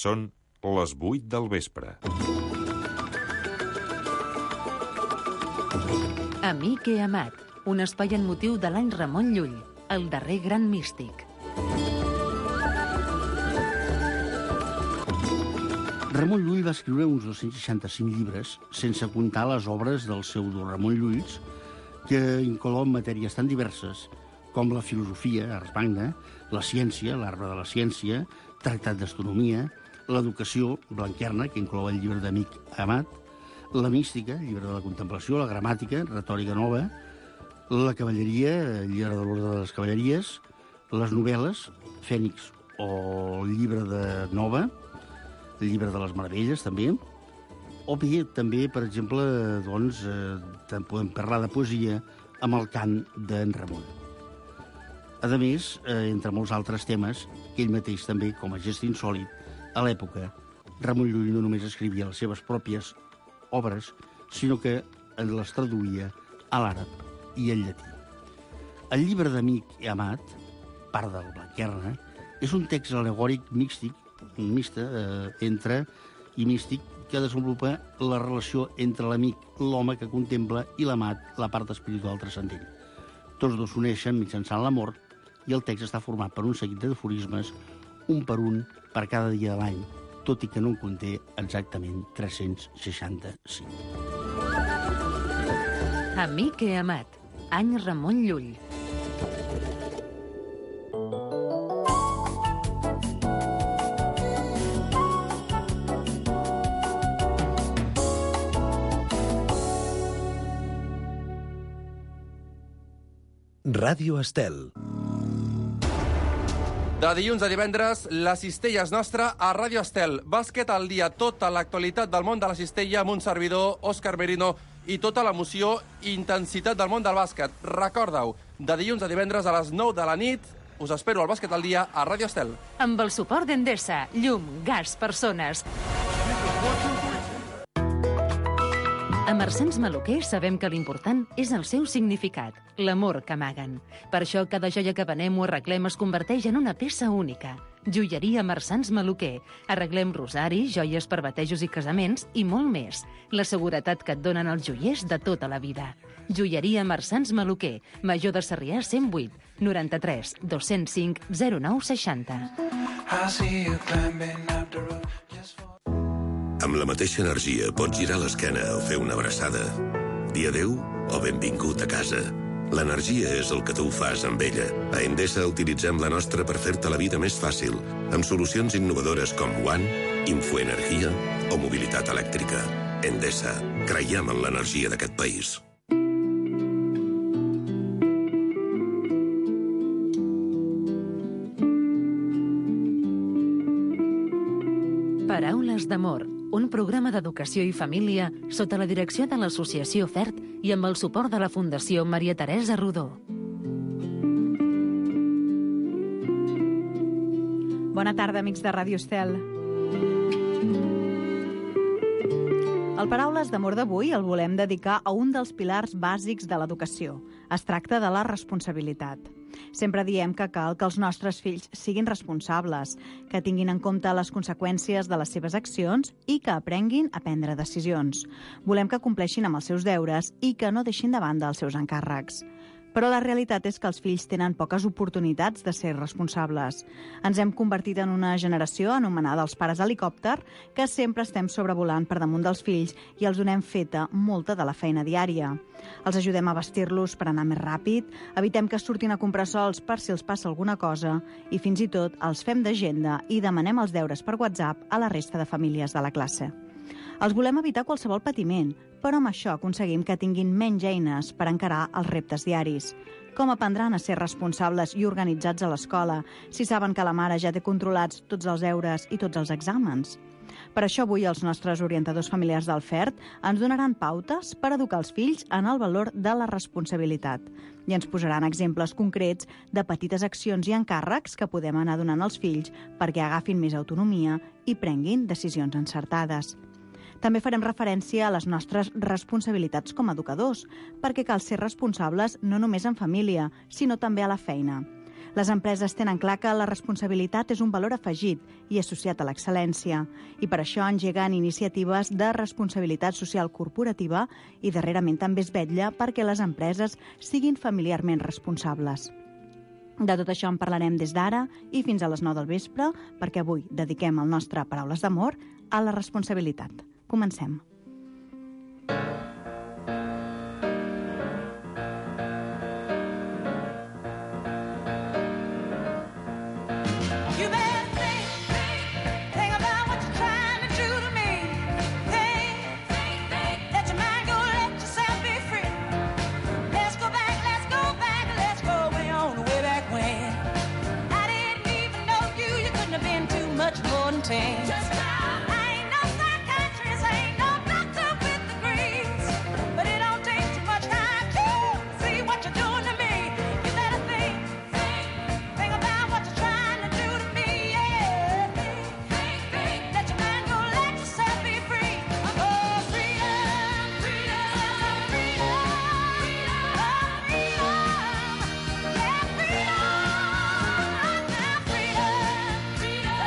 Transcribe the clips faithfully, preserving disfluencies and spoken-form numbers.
Són les vuit del vespre. Amic he amat, un espai en motiu de l'any Ramon Llull, el darrer gran místic. Ramon Llull va escriure uns dos-cents seixanta-cinc llibres, sense comptar les obres del pseudo Ramon Llulls, que inclouen matèries tan diverses com la filosofia, Ars Magna, la ciència, l'arbre de la ciència, tractat d'astronomia, l'educació, Blanquerna, que inclou el llibre d'Amic Amat, la mística, llibre de la contemplació, la gramàtica, retòrica nova, la cavalleria, el llibre de l'ordre de les cavalleries, les novel·les, Fènix o el llibre de Nova, el llibre de les meravelles, també, o bé, també, per exemple, doncs, eh, podem parlar de poesia amb el cant d'en Ramon. A més, eh, entre molts altres temes, que ell mateix també, com a gest insòlit, a l'època, Ramon Llull no només escrivia les seves pròpies obres, sinó que les traduïa a l'àrab i al llatí. El llibre d'Amic i Amat, part del Blanquerna, és un text alegòric místic, mixta, eh, entre i místic, que desenvolupa la relació entre l'amic, l'home que contempla, i l'amat, la part espiritual transcendent. Tots dos s'uneixen mitjançant l'amor i el text està format per un seguit d'aforismes, un per un per cada dia de l'any, tot i que no en conté exactament tres-cents seixanta-cinc. Amic he amat, any Ramon Llull. Ràdio Estel. De dilluns a divendres, la cistella és nostra a Ràdio Estel. Bàsquet al dia, tota l'actualitat del món de la cistella amb un servidor, Òscar Merino, i tota l'emoció i intensitat del món del bàsquet. Recorda-ho, de dilluns a divendres a les nou de la nit, us espero al Bàsquet al dia a Ràdio Estel. Amb el suport d'Endesa, llum, gas, persones. A Marsans Maluquer sabem que l'important és el seu significat, l'amor que amaguen. Per això cada joia que venem o arreglem es converteix en una peça única. Joieria Marsans Maluquer. Arreglem rosaris, joies per batejos i casaments i molt més. La seguretat que et donen els joiers de tota la vida. Joieria Marsans Maluquer. Major de Sarrià cent vuit, noranta-tres, dos-cents cinc, zero nou seixanta. Amb la mateixa energia pots girar l'esquena o fer una abraçada. Dir adéu o benvingut a casa. L'energia és el que tu fas amb ella. A Endesa utilitzem la nostra per fer-te la vida més fàcil, amb solucions innovadores com One, Infoenergia o mobilitat elèctrica. Endesa. Creiem en l'energia d'aquest país. Paraules d'amor, un programa d'educació i família sota la direcció de l'Associació FERT i amb el suport de la Fundació Maria Teresa Rodó. Bona tarda, amics de Ràdio Estel. El Paraules d'amor d'avui el volem dedicar a un dels pilars bàsics de l'educació. Es tracta de la responsabilitat. Sempre diem que cal que els nostres fills siguin responsables, que tinguin en compte les conseqüències de les seves accions i que aprenguin a prendre decisions. Volem que compleixin amb els seus deures i que no deixin de banda els seus encàrrecs. Però la realitat és que els fills tenen poques oportunitats de ser responsables. Ens hem convertit en una generació anomenada els pares helicòpter, que sempre estem sobrevolant per damunt dels fills i els donem feta molta de la feina diària. Els ajudem a vestir-los per anar més ràpid, evitem que surtin a comprar sols per si els passa alguna cosa i fins i tot els fem d'agenda i demanem els deures per WhatsApp a la resta de famílies de la classe. Els volem evitar qualsevol patiment, però amb això aconseguim que tinguin menys eines per encarar els reptes diaris. Com aprendran a ser responsables i organitzats a l'escola si saben que la mare ja té controlats tots els deures i tots els exàmens? Per això avui els nostres orientadors familiars del FERT ens donaran pautes per educar els fills en el valor de la responsabilitat i ens posaran exemples concrets de petites accions i encàrrecs que podem anar donant als fills perquè agafin més autonomia i prenguin decisions encertades. També farem referència a les nostres responsabilitats com a educadors, perquè cal ser responsables no només en família, sinó també a la feina. Les empreses tenen clar que la responsabilitat és un valor afegit i associat a l'excel·lència, i per això engeguen iniciatives de responsabilitat social corporativa i darrerament també es vetlla perquè les empreses siguin familiarment responsables. De tot això en parlarem des d'ara i fins a les nou del vespre, perquè avui dediquem el nostre Paraules d'Amor a la responsabilitat. Comencem. Just now. I ain't no psychiatrist, I ain't no doctor with degrees, but it don't take too much time to see what you're doing to me. You better think, think, think about what you're trying to do to me, yeah. Think, think, think, let your mind go, let yourself be free. Oh, freedom, freedom, freedom, oh, freedom, yeah, freedom, now freedom, freedom.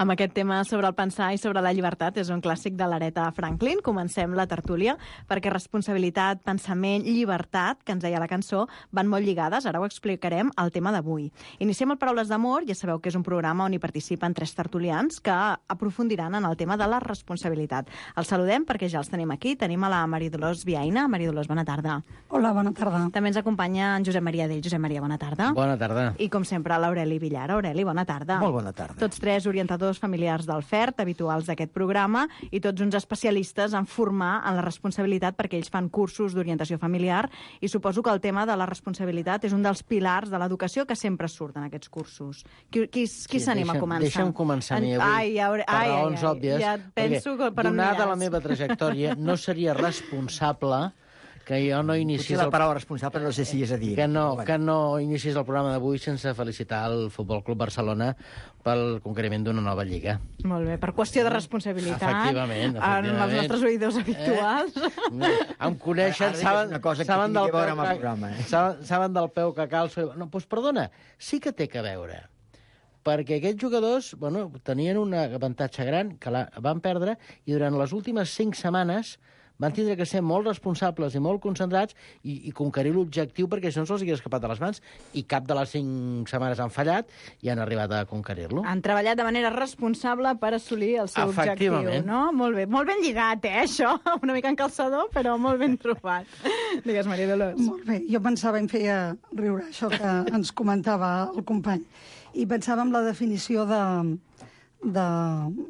Amb aquest tema sobre el pensar i sobre la llibertat, és un clàssic de l'Aretha Franklin. Comencem la tertúlia, perquè responsabilitat, pensament, llibertat, que ens deia la cançó, van molt lligades. Ara ho explicarem al tema d'avui. Iniciem el Paraules d'Amor. Ja sabeu que és un programa on hi participen tres tertulians que aprofundiran en el tema de la responsabilitat. Els saludem perquè ja els tenim aquí. Tenim a la Maria Dolors Viaina. Maria Dolors, bona tarda. Hola, bona tarda. També ens acompanya en Josep Maria Dell. Josep Maria, bona tarda. Bona tarda. I com sempre, l'Aureli Villar. Aureli, bona tarda. Molt bona tarda. Tots tres orientadors familiars del F E R T, habituals d'aquest programa, i tots uns especialistes en formar en la responsabilitat, perquè ells fan cursos d'orientació familiar, i suposo que el tema de la responsabilitat és un dels pilars de l'educació que sempre surt en aquests cursos. Qui, qui, qui sí, s'anima a començar? Deixa'm començar a mi avui, ai, ai, per ai, raons ai, òbvies, ja penso que per donada la meva trajectòria, no seria responsable que jo no iniciés... Potser la paraula responsable no sé si és a dir. Que no, que no iniciés el programa d'avui sense felicitar el Futbol Club Barcelona pel conqueriment d'una nova lliga. Molt bé, per qüestió de responsabilitat. Efectivament, efectivament. En els nostres oïdors habituals. Eh? Em coneixen, Ara saben, una cosa que saben, del tingui a veure peu amb el que, programa, eh? saben, saben del peu que calço. No, doncs perdona, sí que té que veure. Perquè aquests jugadors, bueno, tenien un avantatge gran, que la van perdre, i durant les últimes cinc setmanes van tindre que ser molt responsables i molt concentrats i, i conquerir l'objectiu, perquè això no se'ls havia escapat de les mans, i cap de les cinc setmanes han fallat i han arribat a conquerir-lo. Han treballat de manera responsable per assolir el seu objectiu, no? Molt bé, molt ben lligat, eh, això? Una mica en calçador, però molt ben trobat. Digues, Maria Dolors. Molt bé, jo pensava, em feia riure això que ens comentava el company, i pensava en la definició de, de,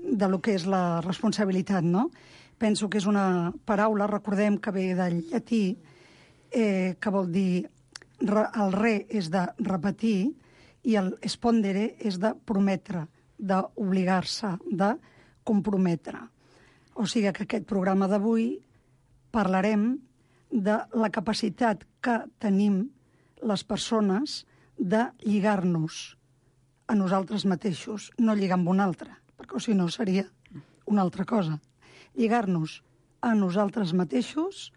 de lo que és la responsabilitat, no? Penso que és una paraula, recordem que ve del llatí, eh, que vol dir, re, el re és de repetir i el spondere és de prometre, d'obligar-se, de comprometre. O sigui que aquest programa d'avui parlarem de la capacitat que tenim les persones de lligar-nos a nosaltres mateixos, no lligar amb un altre, perquè si no seria una altra cosa. Lligar-nos a nosaltres mateixos,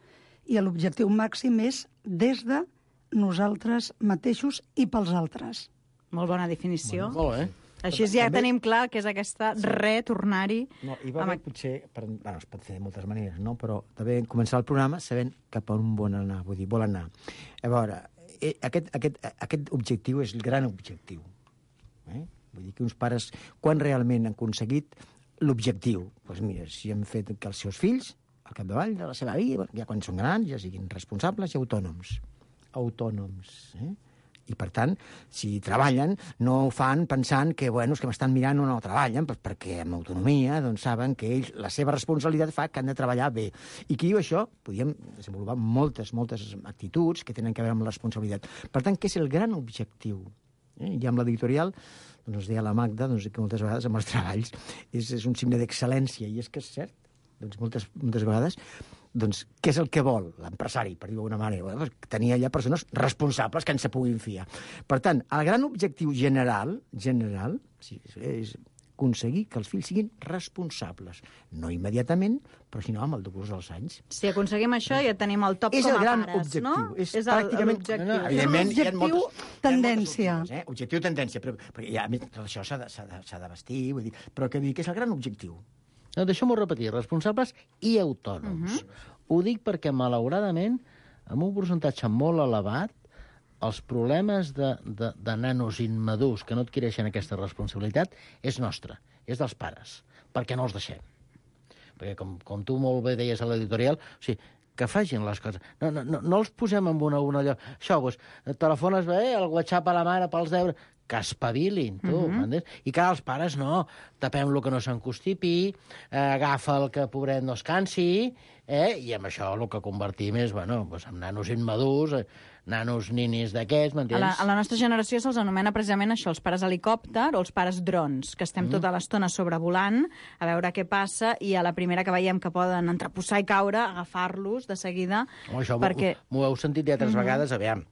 i l'objectiu màxim és des de nosaltres mateixos i pels altres. Molt bona definició. Molt bé. Així ja També- tenim clar que és aquesta re-tornar-hi. No, hi va amb haver, potser, per, bueno, es pot fer de moltes maneres, no? Però també començar el programa sabent cap on vol anar, vull dir, vol anar. A veure, eh, aquest, aquest, aquest objectiu és el gran objectiu. Eh? Vull dir que uns pares, quan realment han aconseguit l'objectiu? Doncs mira, si han fet que els seus fills, al capdavall de la seva vida, ja quan són grans, ja siguin responsables i autònoms. Autònoms, eh? I, per tant, si treballen, no ho fan pensant que, bueno, és que m'estan mirant o no treballen, doncs perquè amb autonomia doncs, saben que ells, la seva responsabilitat fa que han de treballar bé. I qui diu això? Podríem desenvolupar moltes, moltes actituds que tenen que veure amb la responsabilitat. Per tant, què és el gran objectiu? Eh? I amb l'editorial, doncs, ens deia la Magda doncs, que moltes vegades amb els treballs és, és un signe d'excel·lència, i és que és cert. Doncs moltes, moltes vegades, doncs, què és el que vol l'empresari, per dir-ho d'alguna manera? Bueno, tenir allà persones responsables que ens se puguin fiar. Per tant, el gran objectiu general, general sí, és aconseguir que els fills siguin responsables. No immediatament, però sinó amb el decurs dels anys. Si aconseguim això, ja tenim el top És com el a gran pares, objectiu. no? És el- pràcticament- l'objectiu. No, no, evidentment, hi ha Objectiu, moltes- tendència. Eh? Objectiu, tendència, però, però ja, a més, tot això s'ha de, s'ha de, s'ha de vestir, vull dir, però que dir que és el gran objectiu. No, deixeu-m'ho repetir, responsables i autònoms. Ho dic perquè, malauradament, amb un percentatge molt elevat, els problemes de, de, de nanos immadurs que no adquireixen aquesta responsabilitat és nostre, és dels pares, perquè no els deixem. Perquè, com, com tu molt bé deies a l'editorial, o sigui, que facin les coses. No, no, no, no els posem en una, una allò. Això, doncs, telefones bé, el WhatsApp a la mare pels deures, que espavilin, tu, uh -huh. m'entens? I que els pares no, tapem lo que no s'encostipi, eh, agafa el que, pobret, no es cansi, eh? I amb això el que convertim és, bueno, doncs, en nanos immadurs, eh, nanos ninis d'aquests, A m'entens? la, a la nostra generació se'ls anomena precisament això, els pares helicòpter o els pares drons, que estem mm. tota l'estona sobrevolant a veure què passa i a la primera que veiem que poden entreposar i caure, agafar-los de seguida. Oh, això perquè... m'ho heu sentit ja altres Mhm. vegades, aviam.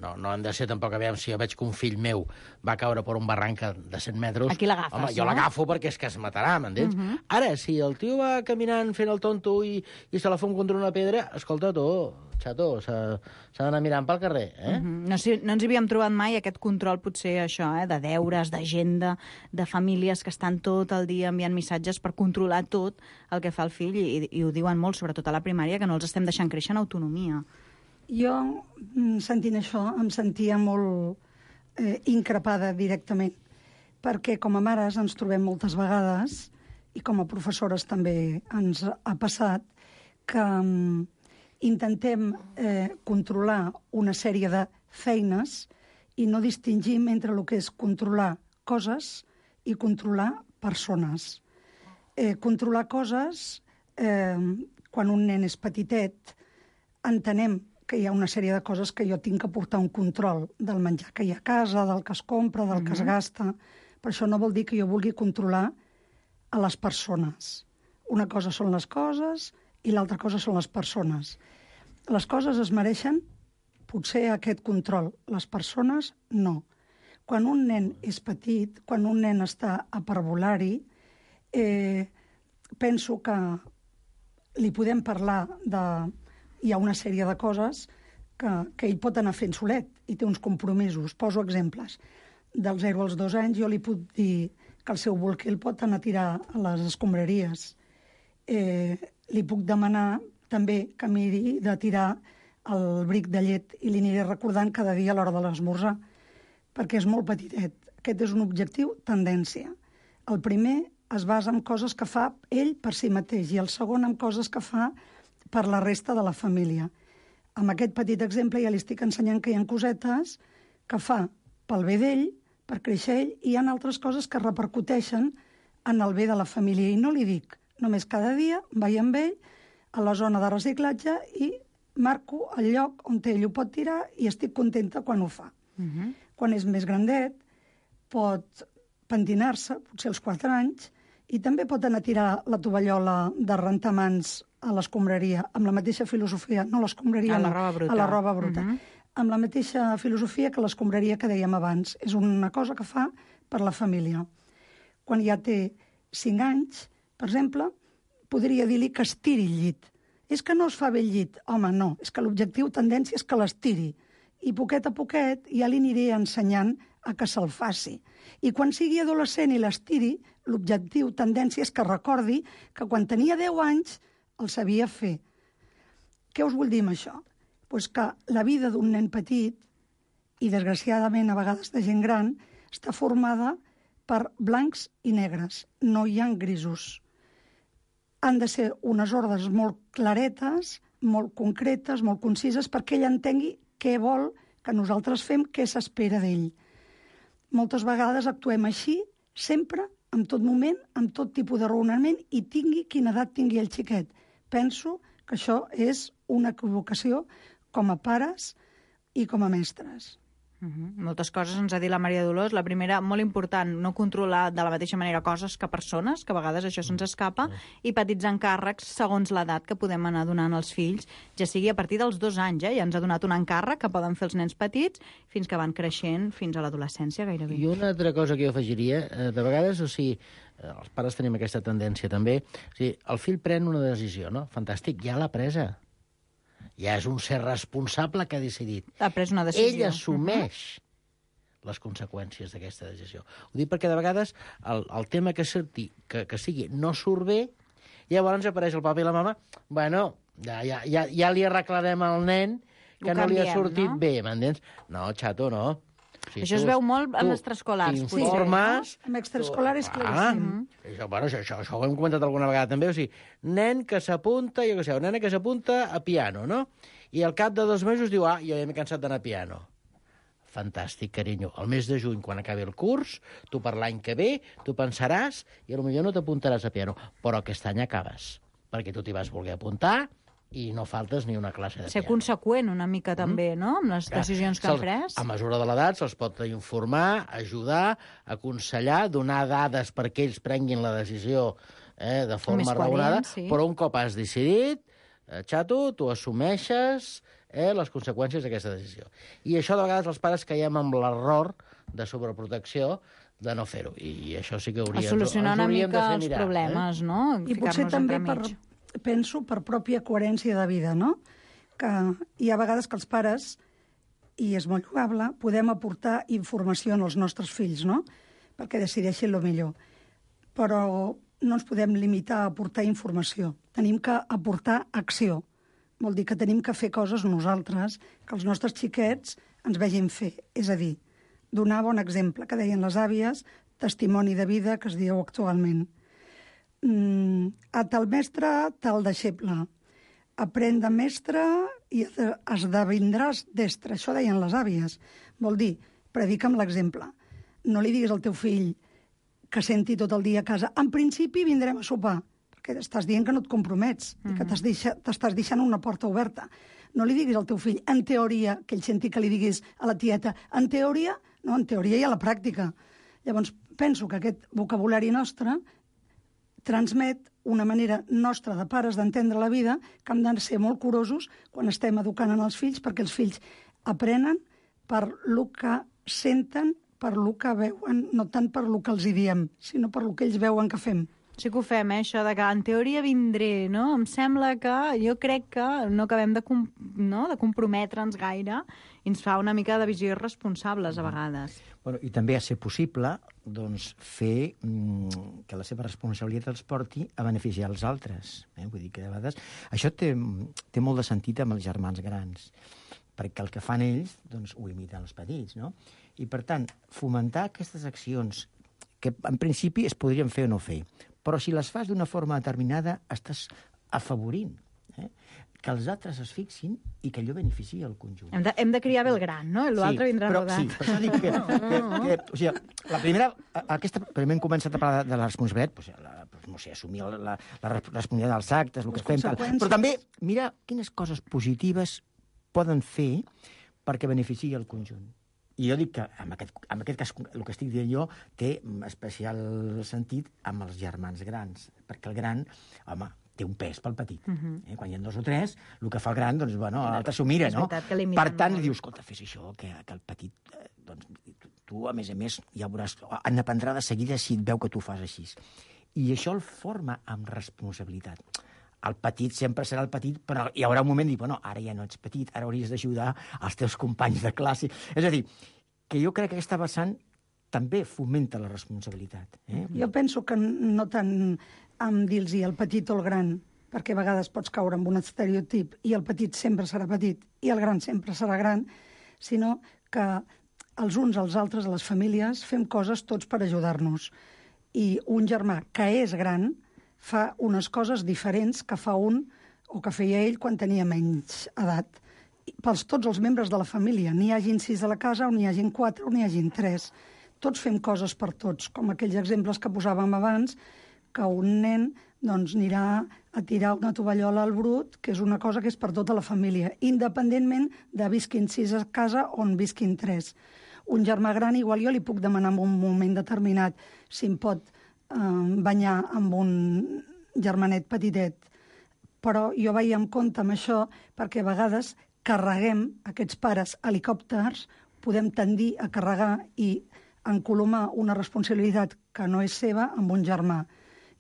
No, no han de ser tampoc, aviam, si jo veig que un fill meu va caure per un barranc de cent metres... Aquí l'agafes, Home, jo no? l'agafo perquè és que es matarà, m'entens? Mhm. Ara, si el tio va caminant fent el tonto i, i se la fon contra una pedra, escolta, tu, xato, s'ha s'ha d'anar mirant pel carrer, eh? Mhm. No, si, no ens havíem trobat mai aquest control, potser això, eh, de deures, d'agenda, de famílies que estan tot el dia enviant missatges per controlar tot el que fa el fill, i, i ho diuen molt, sobretot a la primària, que no els estem deixant créixer en autonomia. Jo, mm, sentint això, em sentia molt eh, increpada directament, perquè com a mares ens trobem moltes vegades, i com a professores també ens ha passat, que mm, intentem eh, controlar una sèrie de feines i no distingim entre el que és controlar coses i controlar persones. Eh, controlar coses, eh, quan un nen és petitet, entenem que hi ha una sèrie de coses que jo tinc que portar un control del menjar que hi ha a casa, del que es compra, del que es gasta. Però això no vol dir que jo vulgui controlar a les persones. Una cosa són les coses i l'altra cosa són les persones. Les coses es mereixen potser aquest control. Les persones, no. Quan un nen és petit, quan un nen està a parvulari, eh, penso que li podem parlar de... Hi ha una sèrie de coses que, que ell pot anar fent solet i té uns compromisos. Poso exemples. Del zero als dos anys jo li puc dir que el seu bolquer el pot anar a tirar a les escombraries. Eh, li puc demanar també que miri de tirar el bric de llet i li aniré recordant cada dia a l'hora de l'esmorzar, perquè és molt petitet. Aquest és un objectiu, tendència. El primer es basa en coses que fa ell per si mateix i el segon en coses que fa per la resta de la família. Amb aquest petit exemple ja li estic ensenyant que hi ha cosetes que fa pel bé d'ell, per créixer ell, i hi ha altres coses que repercuteixen en el bé de la família. I no li dic, només cada dia vaig amb ell a la zona de reciclatge i marco el lloc on ell ho pot tirar i estic contenta quan ho fa. Mhm. Quan és més grandet, pot pentinar-se, potser als quatre anys, i també pot anar a tirar la tovallola de rentar mans a l'escombraria, amb la mateixa filosofia, no l'escombraria, A la no, roba bruta. a la roba bruta, Mhm. amb la mateixa filosofia que l'escombraria que dèiem abans. És una cosa que fa per la família. Quan ja té cinc anys, per exemple, podria dir-li que estiri el llit. És que no es fa bé el llit. Home, no, és que l'objectiu, tendència, és que l'estiri. i poquet a poquet ja li aniré ensenyant a que se'l faci. I quan sigui adolescent i l'estiri, l'objectiu, tendència, és que recordi que quan tenia deu anys el sabia fer. Què us vull dir amb això? Pues que la vida d'un nen petit, i desgraciadament a vegades de gent gran, està formada per blancs i negres. No hi ha grisos. Han de ser unes ordres molt claretes, molt concretes, molt concises, perquè ell entengui què vol que nosaltres fem, què s'espera d'ell. Moltes vegades actuem així, sempre, en tot moment, amb tot tipus de raonament, i tingui quina edat tingui el xiquet. Penso que això és una equivocació com a pares i com a mestres. Uh-huh. Moltes coses ens ha dit la Maria Dolors. La primera, molt important, no controlar de la mateixa manera coses que persones, que a vegades això se'ns escapa, i petits encàrrecs segons l'edat que podem anar donant als fills, ja sigui a partir dels dos anys, eh? Ja ens ha donat un encàrrec que poden fer els nens petits fins que van creixent fins a l'adolescència gairebé. I una altra cosa que jo afegiria, eh, de vegades, o sigui, eh, els pares tenim aquesta tendència també, o sigui, el fill pren una decisió, no? Fantàstic, ja l'ha presa. Ja és un ser responsable que ha decidit. Ha pres una decisió. Ell assumeix uh-huh. les conseqüències d'aquesta decisió. Ho dic perquè de vegades el, el tema que, surti, que, que sigui no surt bé, llavors apareix el papa i la mama, bueno, ja, ja, ja, ja li arreglarem al nen que Ho no li ha canviem, sortit no? bé, m'entens? No, xato, no. Si Això tu- es veu molt en tu extraescolars. T'informes... Amb extraescolar és Ah, claríssim. això, bueno, això, això, això ho hem comentat alguna vegada també, o sigui, nen que s'apunta, jo què sé, nena que s'apunta a piano, no? I al cap de dos mesos diu, ah, jo ja m'he cansat d'anar a piano. Fantàstic, carinyo. El mes de juny, quan acabi el curs, tu per l'any que ve, tu pensaràs i potser no t'apuntaràs a piano, però aquest any acabes, perquè tu t'hi vas voler apuntar i no faltes ni una classe de Ser piano. conseqüent una mica també, no?, amb les decisions que han Se'ls- pres. A mesura de l'edat se'ls pot informar, ajudar, aconsellar, donar dades perquè ells prenguin la decisió eh, de forma Més coherent, raonada, sí. però un cop has decidit, eh, xato, tu assumeixes eh, les conseqüències d'aquesta decisió. I això de vegades els pares caiem amb l'error de sobreprotecció de no fer-ho. I això sí que A hauríem, solucionar ens una hauríem de mica fer els mirar, problemes, eh? no? I potser Ficar-nos també, per, entremig. penso, per pròpia coherència de vida, no? Que hi ha vegades que els pares, i és molt lloable, podem aportar informació als nostres fills, no? Perquè decideixin el millor. Però no ens podem limitar a aportar informació. Tenim que aportar acció. Vol dir que tenim que fer coses nosaltres, que els nostres xiquets ens vegin fer. És a dir, donar bon exemple, que deien les àvies, testimoni de vida, que es diu actualment. Mm, a tal mestre, tal deixeble. Aprèn de mestre i esdevindràs destre. Això deien les àvies. Vol dir, predica amb l'exemple. No li diguis al teu fill que senti tot el dia a casa. En principi vindrem a sopar, perquè estàs dient que no et compromets, mm-hmm. i que t'has deixa, t'estàs deixant una porta oberta. No li diguis al teu fill, en teoria, que ell senti que li diguis a la tieta, en teoria, no, en teoria i a la pràctica. Llavors, penso que aquest vocabulari nostre transmet una manera nostra de pares d'entendre la vida, que hem de ser molt curosos quan estem educant en els fills, perquè els fills aprenen per lo que senten, per lo que veuen, no tant per lo que els hi diem, sinó per lo que ells veuen que fem. Sí que ho fem, eh, això de que en teoria vindré, no? Em sembla que, jo crec que no acabem de, com, no? de comprometre'ns gaire i ens fa una mica de visió irresponsables a vegades. Bueno, i també a ser possible doncs, fer mm, que la seva responsabilitat els porti a beneficiar els altres. Eh? Vull dir que de vegades... Això té, té molt de sentit amb els germans grans, perquè el que fan ells doncs, ho imiten els petits, no? I, per tant, fomentar aquestes accions que en principi es podrien fer o no fer, però si les fas d'una forma determinada estàs afavorint eh? que els altres es fixin i que allò beneficiï el conjunt. Hem de, hem de criar bé el gran, no? I l'altre Sí, vindrà però, rodat. sí, per això dic que, que, que, o sigui, la primera, aquesta, primer hem començat a parlar de, de la responsabilitat, pues, la, pues, no sé, assumir la, la, la responsabilitat dels actes, el que Les fem, tal. conseqüències. Però també mira quines coses positives poden fer perquè beneficiï el conjunt. I jo dic que, en aquest, en aquest cas, el que estic dient jo té especial sentit amb els germans grans, perquè el gran, home, té un pes pel petit. Uh-huh. eh? Quan hi ha dos o tres, el que fa el gran, doncs, bueno, l'altre s'ho mira, És no? veritat que l'imiten Per tant, molt. li dius, escolta, fes això, que, que el petit, eh, doncs, tu, tu, a més a més, ja veuràs, han d'aprendre de seguida si et veu que tu fas així. I això el forma amb responsabilitat. el petit sempre serà el petit, però hi haurà un moment de dir, bueno, ara ja no ets petit, ara hauries d'ajudar els teus companys de classe. És a dir, que jo crec que aquesta vessant també fomenta la responsabilitat. Eh? Jo penso que no tant amb dir-los el petit o el gran, perquè a vegades pots caure en un estereotip i el petit sempre serà petit i el gran sempre serà gran, sinó que els uns als altres, a les famílies, fem coses tots per ajudar-nos. I un germà que és gran fa unes coses diferents que fa un o que feia ell quan tenia menys edat. Pels tots els membres de la família, n'hi hagin sis a la casa o n'hi hagin quatre o n'hi hagin tres. Tots fem coses per tots, com aquells exemples que posàvem abans, que un nen doncs, anirà a tirar una tovallola al brut, que és una cosa que és per tota la família, independentment de visquin sis a casa o en visquin tres. Un germà gran, igual jo li puc demanar en un moment determinat si em pot eh, banyar amb un germanet petitet, però jo vaig amb compte amb això perquè a vegades carreguem aquests pares helicòpters, podem tendir a carregar i encolomar una responsabilitat que no és seva amb un germà.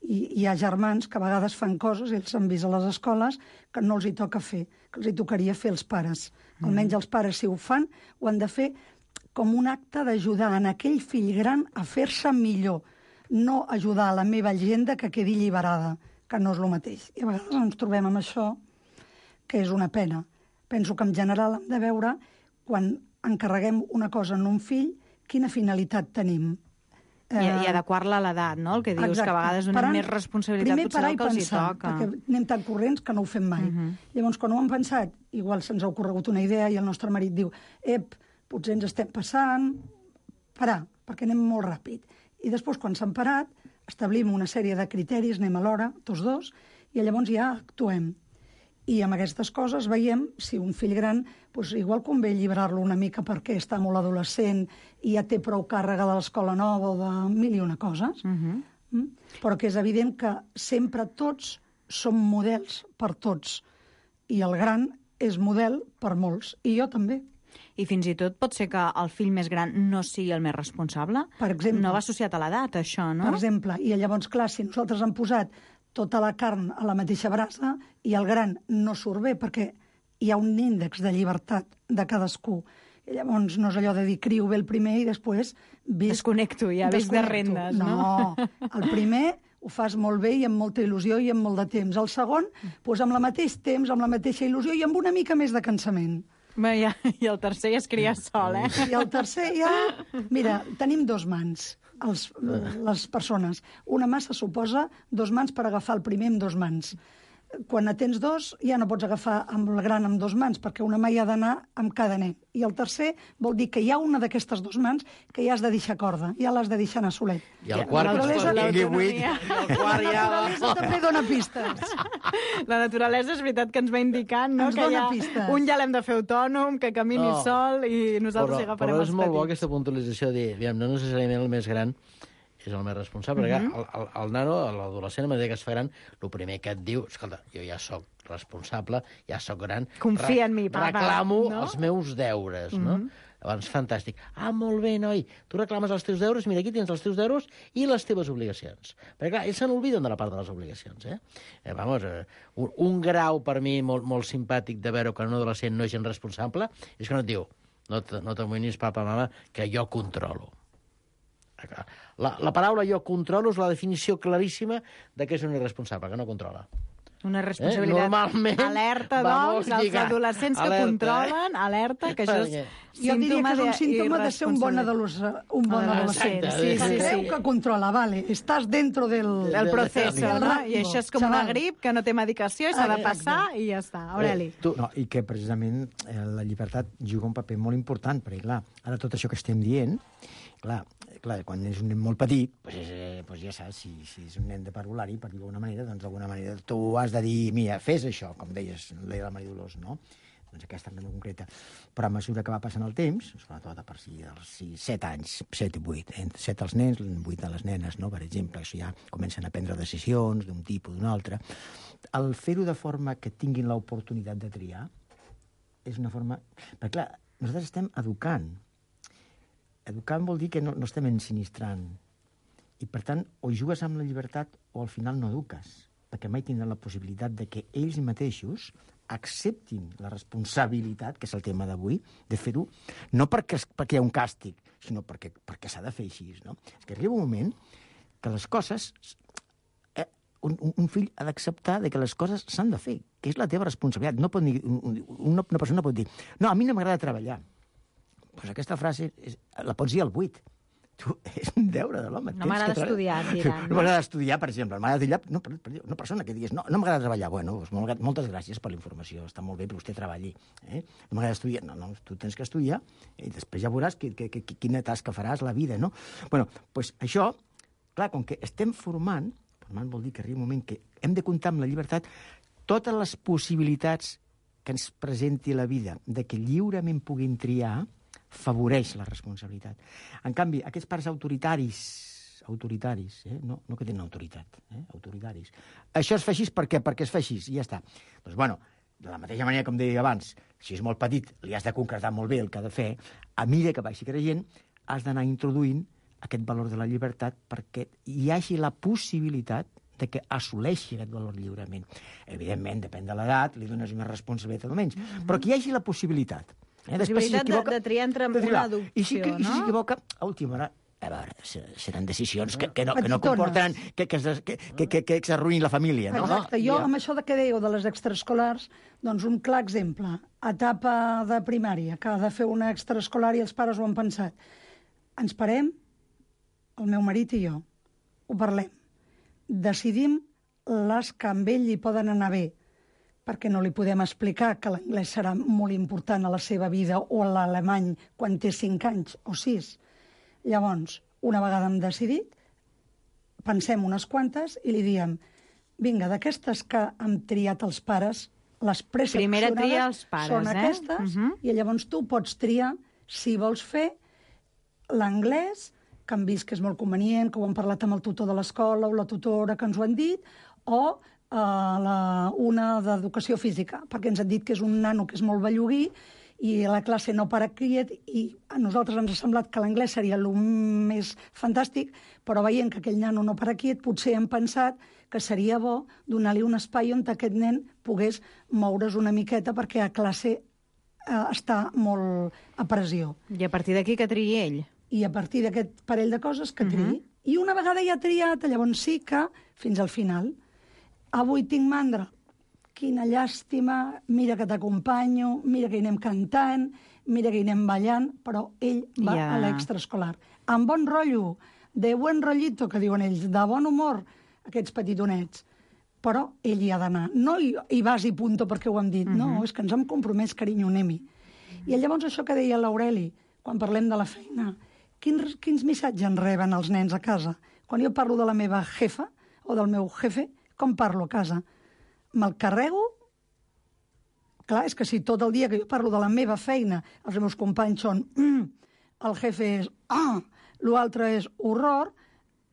I hi ha germans que a vegades fan coses, ells s'han vist a les escoles, que no els hi toca fer, que els hi tocaria fer els pares. Mm. Almenys els pares, si ho fan, ho han de fer com un acte d'ajudar en aquell fill gran a fer-se millor, no ajudar a la meva agenda que quedi alliberada, que no és el mateix. I a vegades ens trobem amb això, que és una pena. Penso que en general hem de veure, quan encarreguem una cosa en un fill, quina finalitat tenim. I, i adequar-la a l'edat, no? El que dius, Exacte. que a vegades donem Parant, més responsabilitat potser del que els hi toca. Perquè anem tan corrents que no ho fem mai. Uh -huh. Llavors, quan ho hem pensat, igual se'ns ha ocorregut una idea i el nostre marit diu ep, potser ens estem passant, parar, perquè anem molt ràpid. I després, quan s'han parat, establim una sèrie de criteris, anem a l'hora, tots dos, i llavors ja actuem. I amb aquestes coses veiem si un fill gran, doncs igual convé alliberar-lo una mica perquè està molt adolescent i ja té prou càrrega de l'escola nova o de mil i una coses. Uh-huh. mm? Però que és evident que sempre tots som models per tots. I el gran és model per molts. I jo també. I fins i tot pot ser que el fill més gran no sigui el més responsable? Per exemple. No va associat a l'edat, això, no? Per exemple. I llavors, clar, si nosaltres hem posat tota la carn a la mateixa brasa i el gran no surt bé perquè hi ha un índex de llibertat de cadascú. I llavors no és allò de dir crio bé el primer i després... Visc... Desconnecto, ja visc de rendes, no? No, el primer ho fas molt bé i amb molta il·lusió i amb molt de temps. El segon, doncs amb el mateix temps, amb la mateixa il·lusió i amb una mica més de cansament. Bé, ja, i el tercer ja es cria sol, eh? I el tercer ja... Mira, tenim dos mans. Els, les persones. Una mà se suposa dos mans per agafar el primer amb dos mans. Quan ne tens dos, ja no pots agafar amb el gran amb dos mans, perquè una mà hi ha d'anar amb cada nen. I el tercer vol dir que hi ha una d'aquestes dos mans que ja has de deixar corda, ja l'has de deixar anar solet. I el quart, la naturalesa, que tingui vuit, i el quart ja... La naturalesa també dona pistes. La naturalesa és veritat que ens va indicant, no? Ens que dona ja, pistes. un ja l'hem de fer autònom, que camini No. sol i nosaltres però, hi agafarem però els és molt bo petits. aquesta puntualització de dir, aviam, no necessàriament el més gran és el més responsable, perquè Mhm. el, el, el nano, l'adolescent, a mesura que es fa gran, el primer que et diu, escolta, jo ja sóc responsable, ja sóc gran, Confia en mi, papa, reclamo no? els meus deures, no? Mhm. Llavors, fantàstic. Ah, molt bé, noi, tu reclames els teus deures, mira, aquí tens els teus deures i les teves obligacions. Perquè, clar, ells se n'obliden de la part de les obligacions, eh? eh vamos, eh, un, un grau per mi molt, molt simpàtic de veure que un adolescent no és gens responsable és que no et diu, no, t- no t'amoïnis, papa, mama, que jo controlo. La, la paraula jo controlo és la definició claríssima de què és un irresponsable, que no controla. Una responsabilitat. Eh? Normalment Alerta, va doncs, molt als lligat. adolescents que Alerta, controlen, alerta, que això és Jo diria que és un símptoma de ser un bon d'irresponsabilitat. adolescent. Un bon Adolescent, adolescent. sí, sí, Sabeu sí. que controla, vale. Estàs dentro del... El procés, del no? rango, I això és com una xaval. grip que no té medicació i s'ha de Ah, passar i ja està. Aureli. Eh, tu... no, I que precisament eh, la llibertat juga un paper molt important, perquè clar, ara tot això que estem dient, clar, clar quan és un nen molt petit, doncs, eh, doncs ja saps, si, si és un nen de parvulari, per dir-ho d'alguna manera, doncs d'alguna manera tu has de dir, mira, fes això, com deies, deia la Maria Dolors, no? Doncs aquesta en concreta. Però a mesura que va passant el temps, sobretot a partir dels set anys, set i vuit, eh? set als nens, vuit a les nenes, no? Per exemple, això ja comencen a prendre decisions d'un tipus o d'un altre. El fer-ho de forma que tinguin l'oportunitat de triar és una forma... Perquè, clar, nosaltres estem educant. Educant vol dir que no, no estem ensinistrant. I, per tant, o jugues amb la llibertat o al final no eduques. perquè mai tindran la possibilitat de que ells mateixos acceptin la responsabilitat, que és el tema d'avui, de fer-ho, no perquè, perquè hi ha un càstig, sinó perquè, perquè s'ha de fer així. No? És que arriba un moment que les coses... Eh, un, un fill ha d'acceptar que les coses s'han de fer, que és la teva responsabilitat. No pot dir, una, una persona pot dir no, a mi no m'agrada treballar. Pues aquesta frase és, la pots dir al buit. Tu, és un deure de l'home. No m'agrada estudiar, diran. No m'agrada estudiar, per exemple. M'agrada estudiar, no, per, per, una persona que digués no, no m'agrada treballar. Bueno, doncs molt, moltes gràcies per la informació. Està molt bé que vostè treballi. Eh? No m'agrada estudiar. No, no, tu tens que estudiar i després ja veuràs que, que, que, quina tasca faràs la vida, no? Bueno, doncs això, clar, com que estem formant, formant vol dir que arriba un moment que hem de comptar amb la llibertat totes les possibilitats que ens presenti la vida, de que lliurement puguin triar, favoreix la responsabilitat. En canvi, aquests pares autoritaris, autoritaris, eh? no, no que tenen autoritat, eh? autoritaris, això es fa així per què? Perquè es fa així, i ja està. Doncs, bueno, de la mateixa manera, com deia abans, si és molt petit, li has de concretar molt bé el que ha de fer, a mesura que vagi creixent, has d'anar introduint aquest valor de la llibertat perquè hi hagi la possibilitat de que assoleixi aquest valor lliurement. Evidentment, depèn de l'edat, li dones més responsabilitat o menys, mm-hmm. però que hi hagi la possibilitat. Eh? Possibilitat si de, de triar entre de triar. Una adopció, I si, no? I si s'equivoca, a última hora, a veure, seran decisions que, que, no, que no comportaran que, que, que, que, que, que s'arruïni la família. No? Exacte. Jo, amb això de què dèieu de les extraescolars, doncs un clar exemple. Etapa de primària, que ha de fer una extraescolar i els pares ho han pensat. Ens parem, el meu marit i jo, ho parlem. Decidim les que amb ell hi poden anar bé, perquè no li podem explicar que l'anglès serà molt important a la seva vida o l'alemany quan té cinc anys o sis. Llavors, una vegada hem decidit, pensem unes quantes i li diem vinga, d'aquestes que hem triat els pares, les preseleccionades són eh? aquestes, uh-huh. i llavors tu pots triar si vols fer l'anglès, que hem vist que és molt convenient, que ho hem parlat amb el tutor de l'escola o la tutora que ens ho han dit, o Uh, la, una d'educació física, perquè ens han dit que és un nano que és molt belluguí i a la classe no para quiet i a nosaltres ens ha semblat que l'anglès seria el més fantàstic, però veient que aquell nano no para quiet, potser hem pensat que seria bo donar-li un espai on aquest nen pogués moure's una miqueta perquè a classe uh, està molt a pressió. I a partir d'aquí que triï ell? I a partir d'aquest parell de coses que triï. Uh-huh. I una vegada ja triat, llavors sí que fins al final... Avui tinc mandra. Quina llàstima, mira que t'acompanyo, mira que hi anem cantant, mira que hi anem ballant, però ell va yeah. a l'extraescolar. Amb bon rotllo, de buen rollito, que diuen ells, de bon humor, aquests petitonets. Però ell hi ha d'anar. No hi, hi vas i punto perquè ho hem dit, uh-huh. no, és que ens hem compromès, carinyo, anem-hi. I llavors això que deia l'Aureli, quan parlem de la feina, quins, quins missatges en reben els nens a casa? Quan jo parlo de la meva jefa o del meu jefe, com parlo a casa? Me'l carrego? Clar, és que si tot el dia que jo parlo de la meva feina els meus companys són mm, el jefe és ah, l'altre és horror,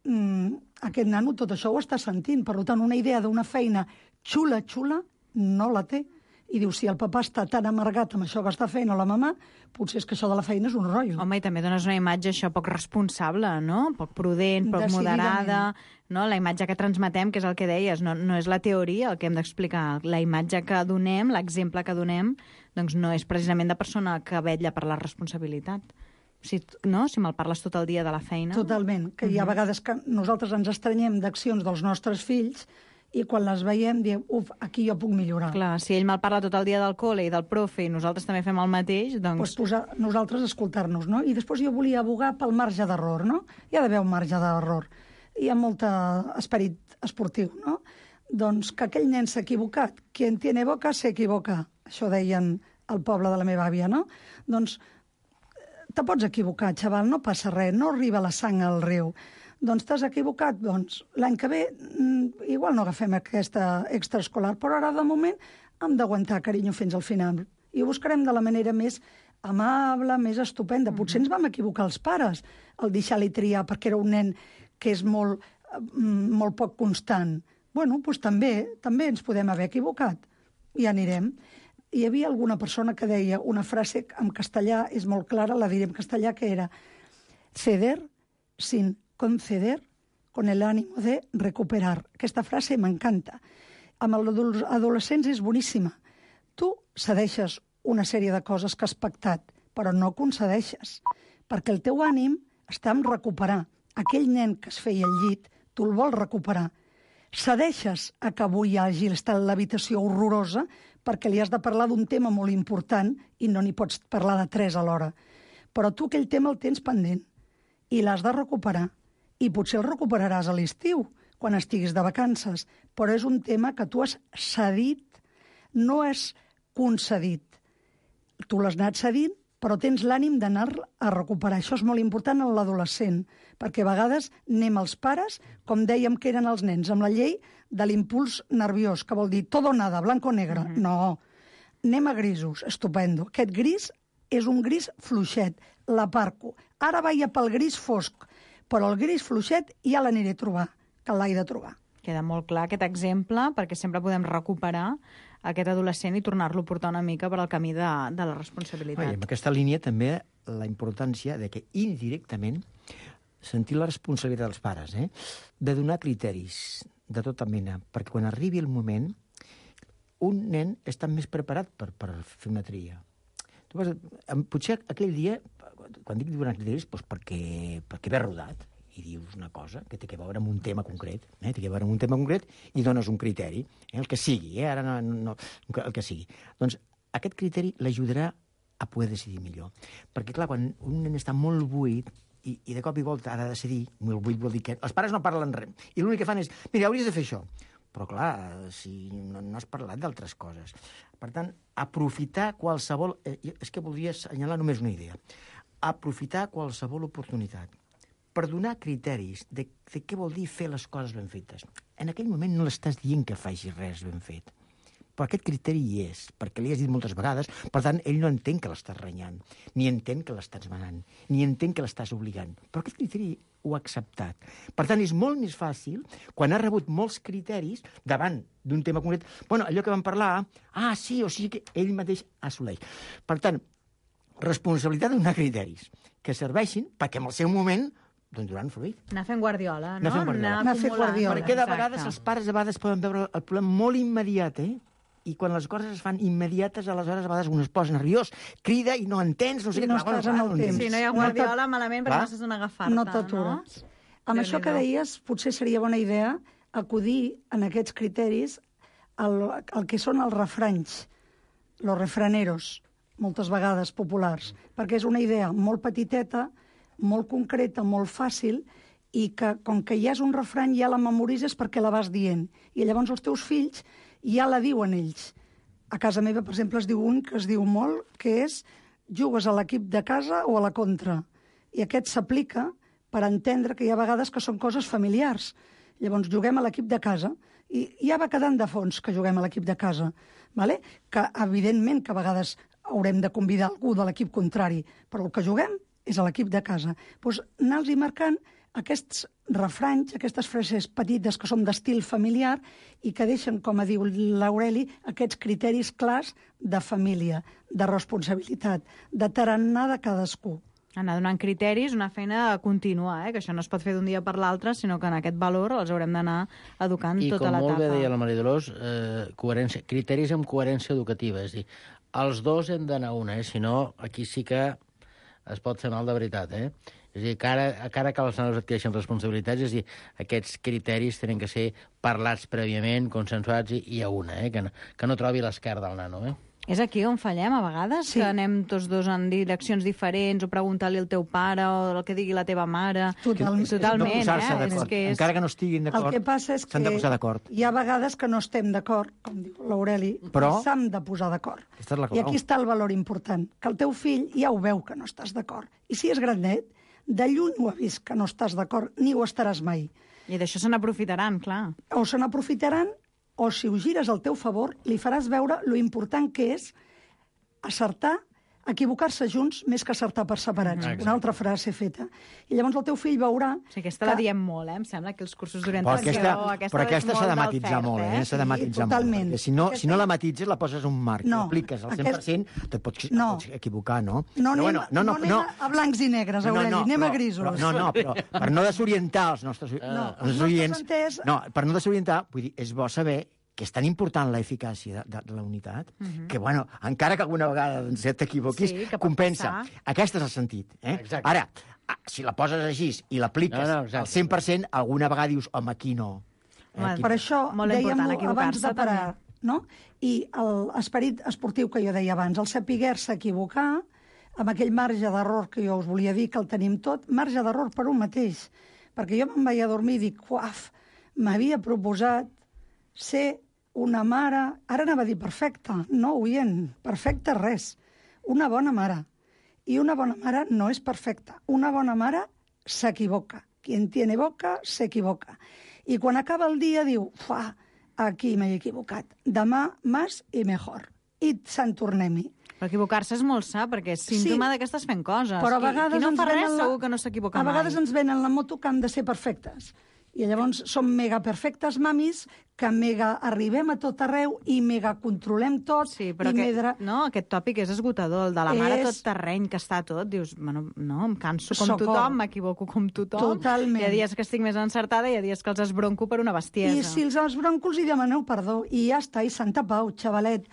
mm, aquest nano tot això ho està sentint. Per tant, una idea d'una feina xula, xula, no la té. I diu, si el papà està tan amargat amb això que està fent o la mamà, potser és que això de la feina és un rotllo. Home, i també dones una imatge això poc responsable, no? Poc prudent, poc moderada, no? La imatge que transmetem, que és el que deies, no, no és la teoria el que hem d'explicar. La imatge que donem, l'exemple que donem, doncs no és precisament de persona que vetlla per la responsabilitat. Si, no? Si me'l parles tot el dia de la feina... Totalment, que hi ha vegades que nosaltres ens estranyem d'accions dels nostres fills i quan les veiem diem, uf, aquí jo puc millorar. Clar, si ell me'l parla tot el dia del col·le i del profe i nosaltres també fem el mateix, doncs... Pues posar, nosaltres escoltar-nos, no? I després jo volia abogar pel marge d'error, no? Hi ha d'haver un marge d'error. Hi ha molt esperit esportiu, no? Doncs que aquell nen s'ha equivocat. Quien tiene boca se equivoca. Això deien al poble de la meva àvia, no? Doncs te pots equivocar, xaval, no passa res, no arriba la sang al riu. Doncs t'has equivocat, doncs l'any que ve igual no agafem aquesta extraescolar, però ara de moment hem d'aguantar, carinyo, fins al final. I ho buscarem de la manera més amable, més estupenda. Potser ens vam equivocar els pares al deixar-li triar perquè era un nen que és molt, molt poc constant. Bueno, doncs també, també ens podem haver equivocat. Ja anirem. Hi havia alguna persona que deia una frase en castellà, és molt clara, la diré en castellà, que era ceder sin conceder con el ánimo de recuperar. Aquesta frase m'encanta. Amb els adolescents és boníssima. Tu cedeixes una sèrie de coses que has pactat, però no concedeixes, perquè el teu ànim està en recuperar. Aquell nen que es feia al llit, tu el vols recuperar. Cedeixes a que avui hi hagi estat l'habitació horrorosa perquè li has de parlar d'un tema molt important i no n'hi pots parlar de tres alhora. Però tu aquell tema el tens pendent i l'has de recuperar. I potser el recuperaràs a l'estiu, quan estiguis de vacances, però és un tema que tu has cedit, no has concedit. Tu l'has anat cedint, però tens l'ànim d'anar a recuperar. Això és molt important en l'adolescent, perquè a vegades anem els pares, com dèiem que eren els nens, amb la llei de l'impuls nerviós, que vol dir todo o nada, blanco o negre. Mm-hmm. No, anem a grisos, estupendo. Aquest gris és un gris fluixet, l'aparco. Ara vaig pel gris fosc, però el gris fluixet ja l'aniré a trobar, que l'haig de trobar. Queda molt clar aquest exemple, perquè sempre podem recuperar aquest adolescent i tornar-lo a portar una mica per al camí de, de la responsabilitat. Oi, en aquesta línia també la importància de que indirectament sentir la responsabilitat dels pares, eh? de donar criteris de tota mena, perquè quan arribi el moment un nen està més preparat per, per fer una tria. Tu vas, potser aquell dia, quan dic donar criteris, doncs perquè, perquè ve rodat, i dius una cosa que té que veure amb un tema concret, eh? té que veure amb un tema concret i dones un criteri, eh? el que sigui, eh? ara no, no, el que sigui. Doncs aquest criteri l'ajudarà a poder decidir millor. Perquè, clar, quan un nen està molt buit i, i de cop i volta ha de decidir, molt buit vol dir que els pares no parlen res, i l'únic que fan és, mira, hauries de fer això. Però, clar, si no, no has parlat d'altres coses. Per tant, aprofitar qualsevol... Eh, és que voldria assenyalar només una idea. Aprofitar qualsevol oportunitat per donar criteris de, de què vol dir fer les coses ben fetes. En aquell moment no l'estàs dient que faci res ben fet. Però aquest criteri hi és, perquè li has dit moltes vegades, per tant, ell no entén que l'estàs renyant, ni entén que l'estàs manant, ni entén que l'estàs obligant. Però aquest criteri ho ha acceptat. Per tant, és molt més fàcil, quan ha rebut molts criteris, davant d'un tema concret, bueno, allò que vam parlar, ah, sí, o sigui que ell mateix assoleix. Per tant, responsabilitat de donar criteris que serveixin perquè en el seu moment doncs donaran fruit. Anar fent guardiola, no? Anar fent guardiola. Anar fent guardiola. Perquè de vegades els pares a vegades poden veure el problema molt immediat, eh? I quan les coses es fan immediates, aleshores a vegades un es posa nerviós, crida i no entens, no sé què. No estàs en el temps. Si no hi ha guardiola, malament, perquè no saps on agafar-te. No t'atures. Amb això que deies, potser seria bona idea acudir en aquests criteris al, al que són els refranys, los refraneros, moltes vegades populars, perquè és una idea molt petiteta, molt concreta, molt fàcil, i que, com que ja és un refrany, ja la memoritzes perquè la vas dient. I llavors els teus fills ja la diuen ells. A casa meva, per exemple, es diu un que es diu molt, que és jugues a l'equip de casa o a la contra. I aquest s'aplica per entendre que hi ha vegades que són coses familiars. Llavors, juguem a l'equip de casa, i ja va quedant de fons que juguem a l'equip de casa. Vale? Que, evidentment, que a vegades haurem de convidar algú de l'equip contrari, però el que juguem és a l'equip de casa. Doncs anar-los marcant aquests refranys, aquestes frases petites que són d'estil familiar i que deixen, com diu l'Aureli, aquests criteris clars de família, de responsabilitat, de tarannà de cadascú. Anar donant criteris, una feina contínua, eh? Que això no es pot fer d'un dia per l'altre, sinó que en aquest valor els haurem d'anar educant I tota l'etapa. I com molt bé deia la Maria Dolors, eh, coherència, criteris amb coherència educativa, és a dir, els dos hem d'anar una, eh? Si no, aquí sí que es pot fer mal de veritat, eh? És a dir, que ara, que ara que els nanos adquireixen responsabilitats, és a dir, aquests criteris tenen que ser parlats prèviament, consensuats i, i a una, eh? Que no, que no trobi l'esquerda del nano, eh? És aquí on fallem, a vegades, sí. Que anem tots dos en direccions diferents, o preguntar-li al teu pare, o el que digui la teva mare. Totalment. Totalment, no eh? És que és... Encara que no estiguin d'acord, el que passa és que s'han de posar d'acord. Hi ha vegades que no estem d'acord, com diu l'Aureli, però s'han de posar d'acord. I aquí està el valor important, que el teu fill ja ho veu que no estàs d'acord. I si és granet, de lluny ho ha vist que no estàs d'acord, ni ho estaràs mai. I d'això se n'aprofitaran, clar. O se n'aprofitaran, o si ho gires al teu favor, li faràs veure lo important que és acertar equivocar-se junts més que acertar per separats. Exacte. Una altra frase feta. I llavors el teu fill veurà... O sigui, aquesta la diem molt, eh? Em sembla que els cursos Però d'orientació... aquesta, però aquesta s'ha de matisar molt, eh? S'ha de matisar molt. totalment. Perquè si no, Aquesta- si no la matitzes, la poses un marc, No, l'apliques al cent per cent, te pots, No. pots equivocar, no? No Però anem, no, no, anem a blancs i negres, Aureli, anem però, a grisos. Però, no, no, però per no desorientar els nostres, No, els els nostres nostres oients... entès- No, per no desorientar, vull dir, és bo saber que és tan important la eficàcia de, de la unitat, que, bueno, encara que alguna vegada doncs, t'equivoquis, Sí, que pot compensa. passar. Aquest és el sentit. Eh? Exacte. Ara, ah, si la poses així i l'apliques No, no, exacte. al cent per cent, alguna vegada dius, home, aquí no. Eh, Home, aquí Per no. això Molt dèiem important abans equivocar-se, de parar, no? I l'esperit esportiu que jo deia abans, el saber-se equivocar, amb aquell marge d'error que jo us volia dir, que el tenim tot, marge d'error per un mateix. Perquè jo me'n vaig a dormir i dic, uaf, m'havia proposat ser una mare, ara anava a dir perfecta, no, oient, perfecta res, una bona mare. I una bona mare no és perfecta. Una bona mare s'equivoca. Quien tiene boca, s'equivoca. I quan acaba el dia diu, fa, aquí m'he equivocat. Demà més i millor. I se'n tornem-hi. Però equivocar-se és molt sa, perquè és símptoma Sí. de que estàs fent coses. Però a Qui- vegades qui no ens fa res venen la- segur que no s'equivoca A mai. vegades ens venen la moto que han de ser perfectes. I llavors som mega perfectes mamis, que mega arribem a tot arreu i mega controlem tot. Sí, però i que, medra... no, aquest tòpic és esgotador, el de la mare És- tot terreny, que està tot. Dius, bueno, no, em canso com Socor. tothom, m'equivoco com tothom. Totalment. Hi ha dies que estic més encertada i hi ha dies que els esbronco per una bestiesa. I si els, els broncos hi demaneu perdó, i ja està, i santa pau, xavalet.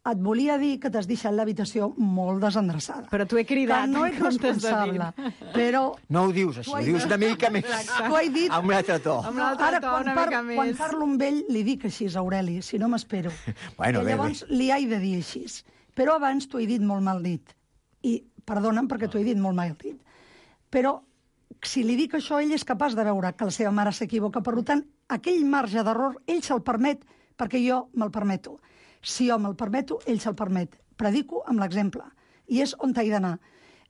Et volia dir que t'has deixat l'habitació molt desendreçada. Però t'ho he cridat, Que no en ets comptes de responsable, dir. però... No ho dius així, T'ho ho he dius dit. una mica més. T'ho he dit. Amb un altre to. Amb un altre Ara, to, quan, una par mica més. quan parlo amb ell, li dic així, Aureli, si no m'espero. Bueno, I bé, llavors li haig de dir així. Però abans t'ho he dit molt mal dit. I perdona'm perquè t'ho he dit molt mal dit. Però si li dic això, ell és capaç de veure que la seva mare s'equivoca. Per tant, aquell marge d'error, ell se'l permet perquè jo me'l permeto. Si jo me'l permeto, ell se'l permet. Predico amb l'exemple. I és on t'he d'anar.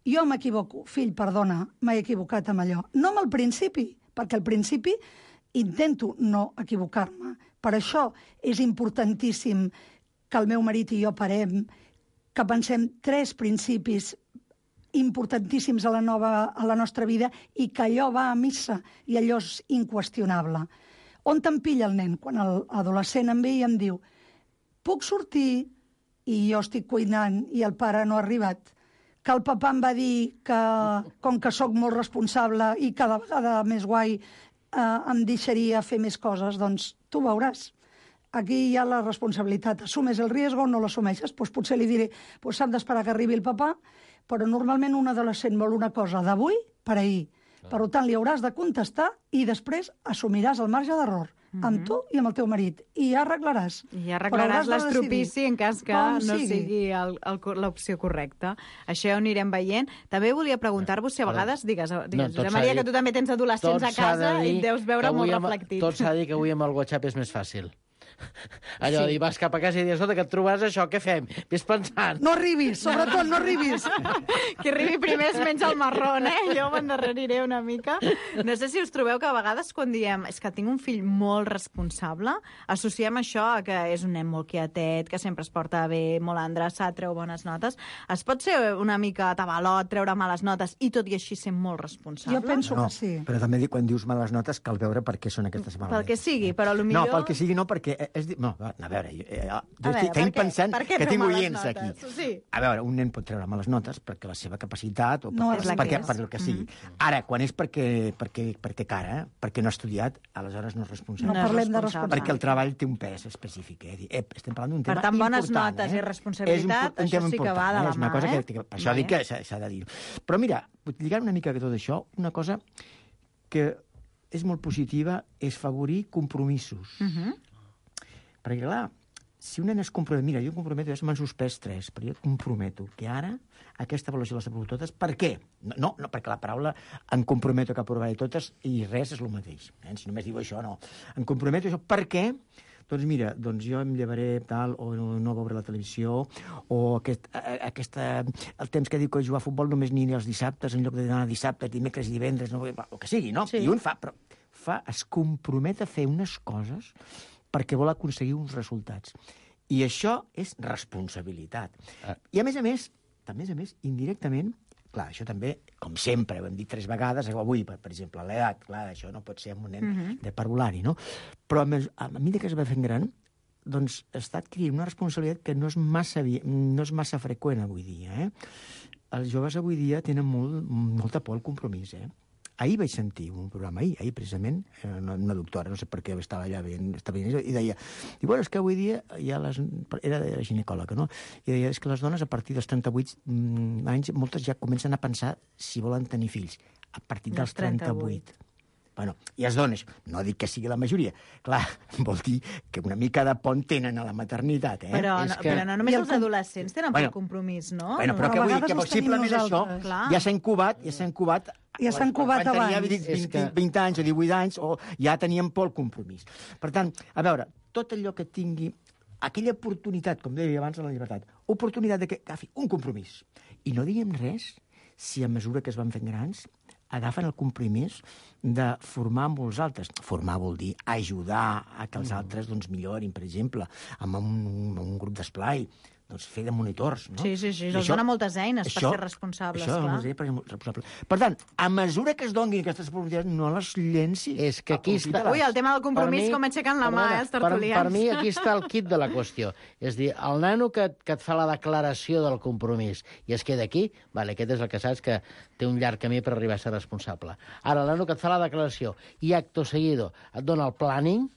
Jo m'equivoco. Fill, perdona, m'he equivocat amb allò. No amb el principi, perquè al principi intento no equivocar-me. Per això és importantíssim que el meu marit i jo parem, que pensem tres principis importantíssims a la, nova, a la nostra vida i que allò va a missa i allò és inqüestionable. On te'n pilla el nen? Quan l'adolescent em ve i em diu puc sortir i jo estic cuinant i el pare no ha arribat, que el papà em va dir que, com que sóc molt responsable i cada vegada més guai, eh, em deixaria fer més coses, doncs tu veuràs. Aquí hi ha la responsabilitat. Assumes el riesgo o no l'assumeixes? Doncs potser li diré, doncs s'han d'esperar que arribi el papà, però normalment un adolescent vol una cosa d'avui per ahir. Per tant, li hauràs de contestar i després assumiràs el marge d'error amb tu i amb el teu marit. I ja arreglaràs. I ja Però arreglaràs hauràs de l'estropici en cas que com no sigui. sigui el- el- l'opció correcta. Això ja ho anirem veient. També volia preguntar-vos si a vegades, digues, digues tot Josep s'ha Maria, de que dir- tu també tens adolescents tot a s'ha de casa i dir et deus veure que molt avui amb- reflectit. Tot s'ha de dir que avui amb el WhatsApp és més fàcil. Allò Sí. de dir, vas cap a casa i dius, escolta, que et trobaràs això, què fem? Ves pensant. No arribis, sobretot no arribis. Que arribi primer es menja el marrón, eh? Jo m'endarreriré una mica. No sé si us trobeu que a vegades quan diem és que tinc un fill molt responsable, associem això a que és un nen molt quietet, que sempre es porta bé, molt endreçat, treu bones notes. Es pot ser una mica tabalot, treure males notes i tot i així ser molt responsable? Jo penso No, que sí. però també dic, quan dius males notes cal veure per què són aquestes males Pel que notes. sigui, però No, potser... pel que sigui no, perquè... És, di- no, a veure, jo, eh, jo A estic, veure, estic per què? pensant Per què que treu tinc males oients notes? aquí. Sí. A veure, un nen pot treure males notes perquè la seva capacitat o per, No per, és la perquè, que és. per el que sigui. Ara, quan és perquè, perquè, perquè té cara, perquè no ha estudiat, aleshores no és responsable. No parlem de responsable. Perquè el treball té un pes específic. Eh? Dir, eh, estem parlant d'un Per tema tant, bones important, notes eh? i responsabilitat, És un, un això tema sí que important, va de eh? la És una mà, cosa eh? que, que per això Vale. dic que s'ha s'ha de dir. Però mira, lligant una mica a tot això, una cosa que és molt positiva és favorir compromisos. Uh -huh. Perquè, clar, si un nen es compromet... Mira, jo em comprometo, ja m'han suspès tres, però jo et comprometo que ara aquesta avaluació les aprovo totes. Per què? No, no, no perquè la paraula em comprometo que aprovaré totes i res és el mateix. Eh? Si només diu això, no. Em comprometo això. Per què? Doncs mira, doncs jo em llevaré tal, o no, no veuré la televisió, o aquest, a, aquesta, el temps que diu que jugar a futbol només ni els dissabtes, en lloc d'anar dissabtes, dimecres i divendres, no, el que sigui, no? Sí. I un fa, però fa, es compromet a fer unes coses perquè vol aconseguir uns resultats. I això és responsabilitat. Ah. I, a més a més, a més a més, indirectament, clar, això també, com sempre, ho hem dit tres vegades, avui, per, per exemple, l'edat, clar, això no pot ser un nen Mhm. de parvulari, no? Però a, més, a mesura que es va fent gran, doncs està adquirint una responsabilitat que no és massa, vi- no és massa freqüent avui dia, eh? Els joves avui dia tenen molt, molta por al compromís, eh? Ahir vaig sentir un programa, ahir, ahir precisament, eh, una, una doctora, no sé per què estava allà veient, estava veient, i deia, i bueno, és que avui dia ja les, era, era ginecòloga, no? I deia, és que les dones a partir dels trenta-vuit mm, anys, moltes ja comencen a pensar si volen tenir fills, a partir dels Dels trenta-vuit. trenta-vuit. Bueno, i es dones, no dic que sigui la majoria, clar, vol dir que una mica de pont tenen a la maternitat, eh? Però, És no, que... però no només I el els com- adolescents tenen Bueno, por compromís, no? Bueno, però a que vull dir vegades que els tenim possiblement això nosaltres. Clar. ja s'ha incubat, ja s'ha incubat Ja s'ha quan- incubat quan tenia abans. vint, És vint, que- vint anys o divuit anys, o ja teníem por al compromís. Per tant, a veure, tot allò que tingui aquella oportunitat, com deia abans de la llibertat, oportunitat de que agafi un compromís. I no diguem res si a mesura que es van fent grans agafen el compromís de formar amb els altres. Formar vol dir ajudar a que els altres doncs, millorin, per exemple, amb un, un grup d'esplai, doncs fer de monitors, no? Sí, sí, sí, I els això- dona moltes eines per això- ser responsables, això, clar. no sé, per ser responsable. Per tant, a mesura que es donin aquestes oportunitats, no les llencis. És que aquí està... Aprofita-les. Ui, el tema del compromís, Per mi- com aixequen la mà, perdona, eh, els per, tertulians. per mi aquí està el kit de la qüestió. És dir, el nano que, que et fa la declaració del compromís i es queda aquí, vale, aquest és el que saps que té un llarg camí per arribar a ser responsable. Ara, el nano que et fa la declaració i acto seguido et dona el planning,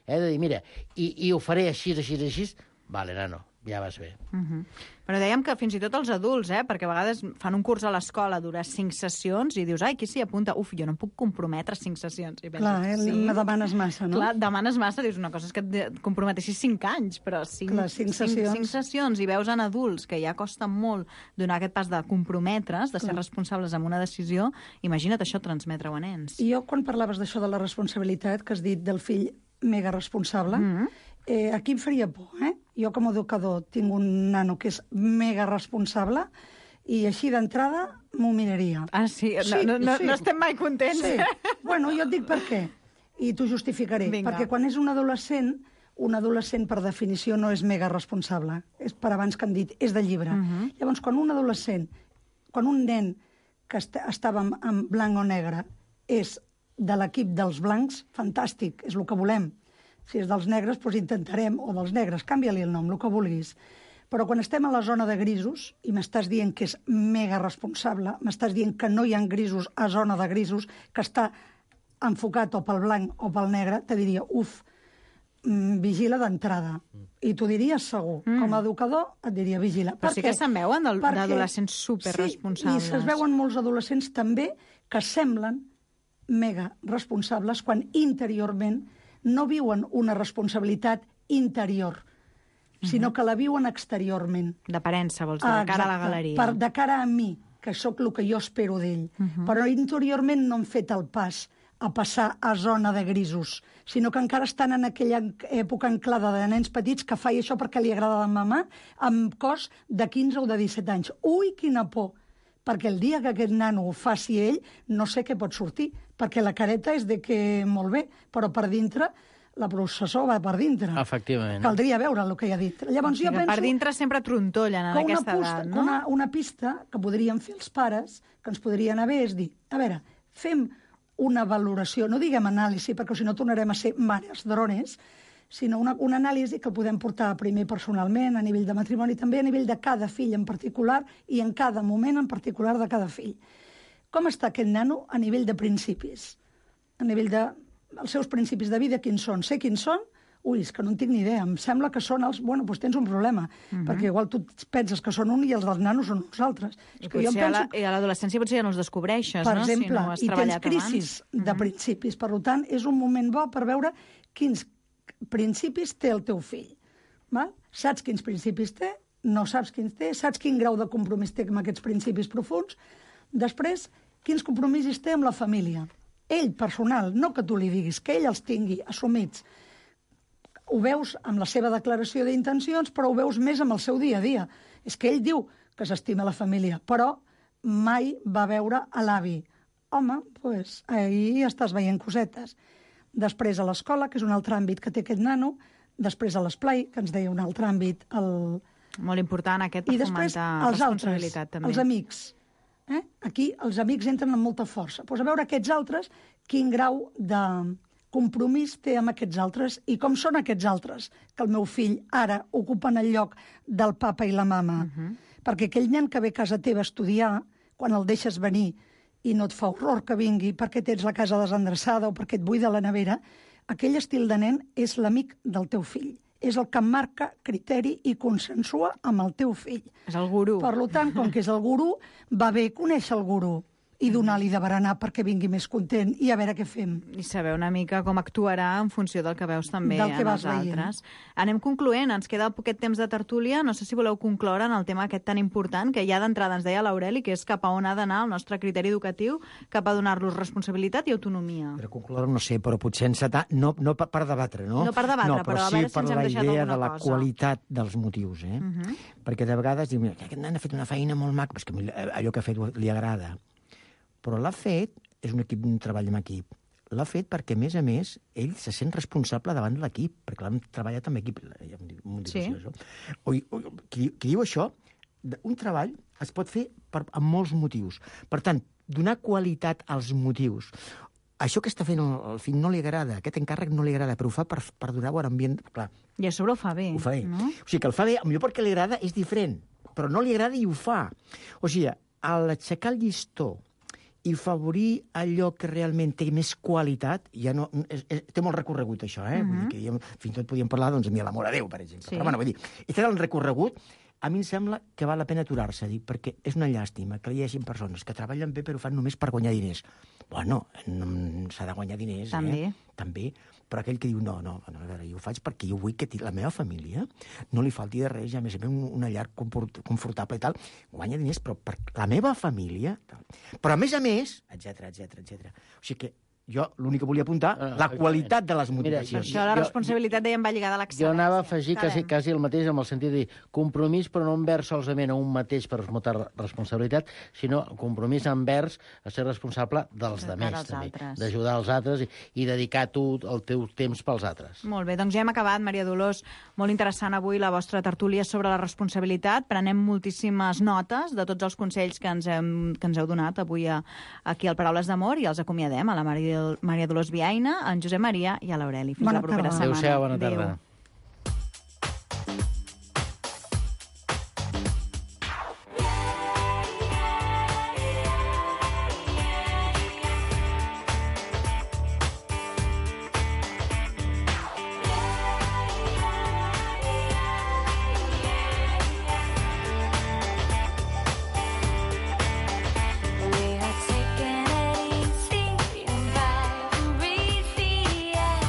eh, de dir, mira, i, i ho faré així, així, així, vale, nano, ja vas bé. Uh -huh. Però dèiem que fins i tot els adults, eh, perquè a vegades fan un curs a l'escola, dura cinc sessions, i dius, ai, qui s'hi apunta? Uf, jo no em puc comprometre cinc sessions. I penses, Clar, eh, me demanes massa, no? Clar, demanes massa, dius, una cosa és que et comprometessis cinc anys, però cinc, Clar, cinc sessions. cinc sessions, i veus en adults que ja costa molt donar aquest pas de comprometre's, de ser Clar. responsables amb una decisió, imagina't això transmetre-ho a nens. I jo, quan parlaves d'això de la responsabilitat, que has dit del fill mega responsable, Mhm. eh, aquí em faria por, eh? Jo, com a educador, tinc un nano que és mega responsable i així d'entrada m'ho miraria. Ah, sí? No, no, no, no estem mai contents. Sí. Bueno, jo et dic per què, i t'ho justificaré. Vinga. Perquè quan és un adolescent, un adolescent, per definició, no és mega responsable. És per abans que hem dit, és de llibre. Mhm. Llavors, quan un adolescent, quan un nen que est estava en, en blanc o negre és de l'equip dels blancs, fantàstic, és el que volem. Si és dels negres, doncs intentarem, o dels negres, canvia-li el nom, el que vulguis. Però quan estem a la zona de grisos, i m'estàs dient que és mega responsable, m'estàs dient que no hi ha grisos a zona de grisos, que està enfocat o pel blanc o pel negre, te diria, uf, mm, vigila d'entrada. I t'ho diries segur. Mm. Com a educador et diria vigila. Però Per sí què? que se'n veuen del- Perquè- d'adolescents superresponsables. Sí, i se'n veuen molts adolescents també que semblen mega responsables quan interiorment no viuen una responsabilitat interior, sinó que la viuen exteriorment. D'aparença, vols dir, de cara a la Exacte. galeria. Per, de cara a mi, que sóc el que jo espero d'ell. Mhm. Però interiorment no han fet el pas a passar a zona de grisos, sinó que encara estan en aquella època anclada de nens petits que fa això perquè li agrada a la mamà, amb cos de quinze o de disset anys. Ui, quina por! Perquè el dia que aquest nano ho faci ell, no sé què pot sortir, perquè la careta és de que molt bé, però per dintre la processó va per dintre. Efectivament. Caldria veure el que hi ha dintre. Llavors, Sí, jo que penso per dintre sempre trontollen en que una, aquesta posta, edat, no? una, una pista que podríem fer els pares, que ens podrien haver, és dir, a veure, fem una valoració, no diguem anàlisi, perquè si no tornarem a ser mares drones, sinó una, una anàlisi que el podem portar primer personalment, a nivell de matrimoni, també a nivell de cada fill en particular i en cada moment en particular de cada fill. Com està aquest nano a nivell de principis? A nivell de... Els seus principis de vida, quins són? Sé quins són? Ui, és que no en tinc ni idea. Em sembla que són els... Bueno, doncs tens un problema, Mhm. perquè igual tu penses que són un i els dels nanos són uns altres. I, És que jo em potser a la, penso I a l'adolescència potser ja no els descobreixes, per no? exemple, si no ho has i tens treballat crisis abans. de Mhm. principis. Per tant, és un moment bo per veure quins principis té el teu fill. Val? Saps quins principis té, no saps quins té, saps quin grau de compromís té amb aquests principis profuns. Després, quins compromisos té amb la família. Ell, personal, no que tu li diguis, que ell els tingui assumits. Ho veus amb la seva declaració d'intencions, però ho veus més amb el seu dia a dia. És que ell diu que s'estima la família, però mai va veure a l'avi. Home, doncs, ahir estàs veient cosetes. Després a l'escola, que és un altre àmbit que té aquest nano, després a l'esplai, que ens deia un altre àmbit, el, Molt important aquest I per després, fomentar els altres, responsabilitat, també. els amics. Eh? Aquí els amics entren amb molta força. Pues a veure aquests altres, quin grau de compromís té amb aquests altres i com són aquests altres, que el meu fill ara ocupen el lloc del papa i la mama. Uh -huh. Perquè aquell nen que ve a casa teva a estudiar, quan el deixes venir i no et fa horror que vingui perquè tens la casa desendreçada o perquè et buida la nevera, aquell estil de nen és l'amic del teu fill. És el que marca criteri i consensua amb el teu fill. És el gurú. Per tant, com que és el gurú, va bé conèixer el gurú i donar-li de berenar perquè vingui més content i a veure què fem. I saber una mica com actuarà en funció del que veus també Del que en vas els veient. altres. Anem concloent, ens queda poquet temps de tertúlia. No sé si voleu concloure en el tema aquest tan important que ja d'entrada ens deia l'Aureli, que és cap a on ha d'anar el nostre criteri educatiu, cap a donar-los responsabilitat i autonomia. Per concloure, no sé, però potser encetar, no, no per, per debatre, no? No per debatre, no, però a sí veure si per ens hem la deixat idea alguna de la cosa. qualitat dels motius, eh? Uh -huh. Perquè de vegades diu, mira, aquest nen ha fet una feina molt maca, però és que allò que ha fet li agrada. Però l'ha fet, és un equip, un treball en equip, l'ha fet perquè, a més a més, ell se sent responsable davant de l'equip, perquè l'han treballat amb equip. Ja m'ho dic Sí. això. O, o, qui, qui diu això, un treball es pot fer per, amb molts motius. Per tant, donar qualitat als motius. Això que està fent el, el fill no li agrada, aquest encàrrec no li agrada, però ho fa per, per donar bon ambient. Clar, I a sobre ho fa bé. ho fa bé. No? O sigui, que el fa bé, potser perquè li agrada és diferent, però no li agrada i ho fa. O sigui, a l'aixecar el llistó i favorir allò que realment té més qualitat, ja no, és, és, té molt recorregut, això, eh? Uh -huh. Vull dir que ja, fins i tot podíem parlar, doncs, de l'amor a Déu, per exemple. Sí. Però, bueno, vull dir, i té el recorregut, a mi em sembla que val la pena aturar-se, dic, perquè és una llàstima que hi hagi persones que treballen bé però ho fan només per guanyar diners. Bueno, no, s'ha de guanyar diners, També. eh? També. Però aquell que diu, no, no, no, a veure, jo ho faig perquè jo vull que la meva família no li falti de res, i a més a més un- una llar comport- confortable i tal, guanya diners, però per la meva família... Tal. Però a més a més, etcètera, etcètera, etcètera. O sigui que jo l'únic que volia apuntar, Ah, la ah, qualitat de les mira, Per motivacions. això la Jo- responsabilitat, dèiem, va lligada a l'excel·lència. Jo anava a afegir quasi, Sabem. quasi el mateix amb el sentit de dir compromís, però no envers solament a un mateix per esmotar responsabilitat, sinó compromís envers a ser responsable dels De demés, cara als també, altres. d'ajudar els altres i, i dedicar tu el teu temps pels altres. Molt bé, doncs ja hem acabat, Maria Dolors. Molt interessant avui la vostra tertúlia sobre la responsabilitat. Prenem moltíssimes notes de tots els consells que ens, hem, que ens heu donat avui a, aquí al Paraules d'Amor i els acomiadem a la Maria, Maria Dolors Viaina, en Josep Maria i a l'Aureli. Fins Bona la propera tarda. setmana. Adéu-siau, bona Adéu. tarda. We are taking it easy and vibe and breathe the air.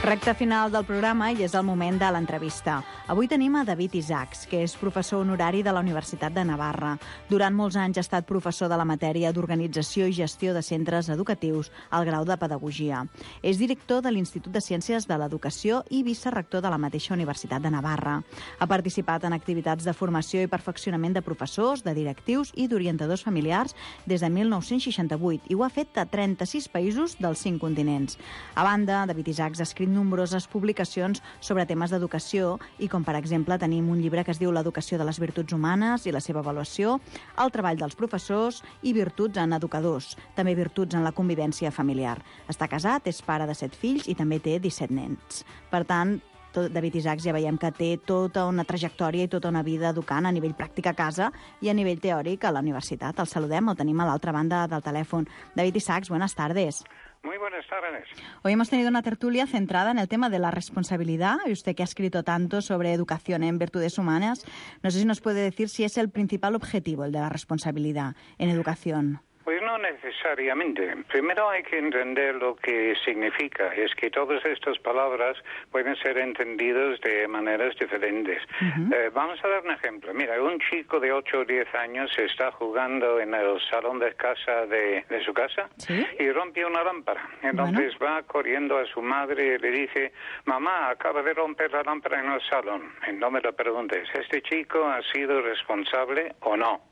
Recte final del programa i és el moment de l'entrevista. Avui tenim a David Isaacs, que és professor honorari de la Universitat de Navarra. Durant molts anys ha estat professor de la matèria d'Organització i Gestió de Centres Educatius al grau de Pedagogia. És director de l'Institut de Ciències de l'Educació i vicerector de la mateixa Universitat de Navarra. Ha participat en activitats de formació i perfeccionament de professors, de directius i d'orientadors familiars des de mil nou-cents seixanta-vuit i ho ha fet a trenta-sis països dels cinc continents. A banda, David Isaacs ha escrit nombroses publicacions sobre temes d'educació i com per exemple tenim un llibre que es diu L'educació de les virtuts humanes i la seva avaluació, el treball dels professors i virtuts en educadors, també virtuts en la convivència familiar. Està casat, és pare de set fills i també té disset nens. Per tant, David Isaacs ja veiem que té tota una trajectòria i tota una vida educant a nivell pràctic a casa i a nivell teòric a la universitat. El saludem, el tenim a l'altra banda del telèfon. David Isaacs, buenas tardes. Muy buenas tardes. Hoy hemos tenido una tertulia centrada en el tema de la responsabilidad, y usted que ha escrito tanto sobre educación en virtudes humanas, no sé si nos puede decir si es el principal objetivo, el de la responsabilidad en educación. Pues no necesariamente. Primero hay que entender lo que significa. Es que todas estas palabras pueden ser entendidas de maneras diferentes. Uh-huh. eh, vamos a dar un ejemplo. Mira, un chico de ocho o diez años está jugando en el salón de casa de, de su casa, ¿sí?, y rompe una lámpara. Entonces bueno. va corriendo a su madre y le dice, mamá, acaba de romper la lámpara en el salón. Y no me lo preguntes, ¿este chico ha sido responsable o no?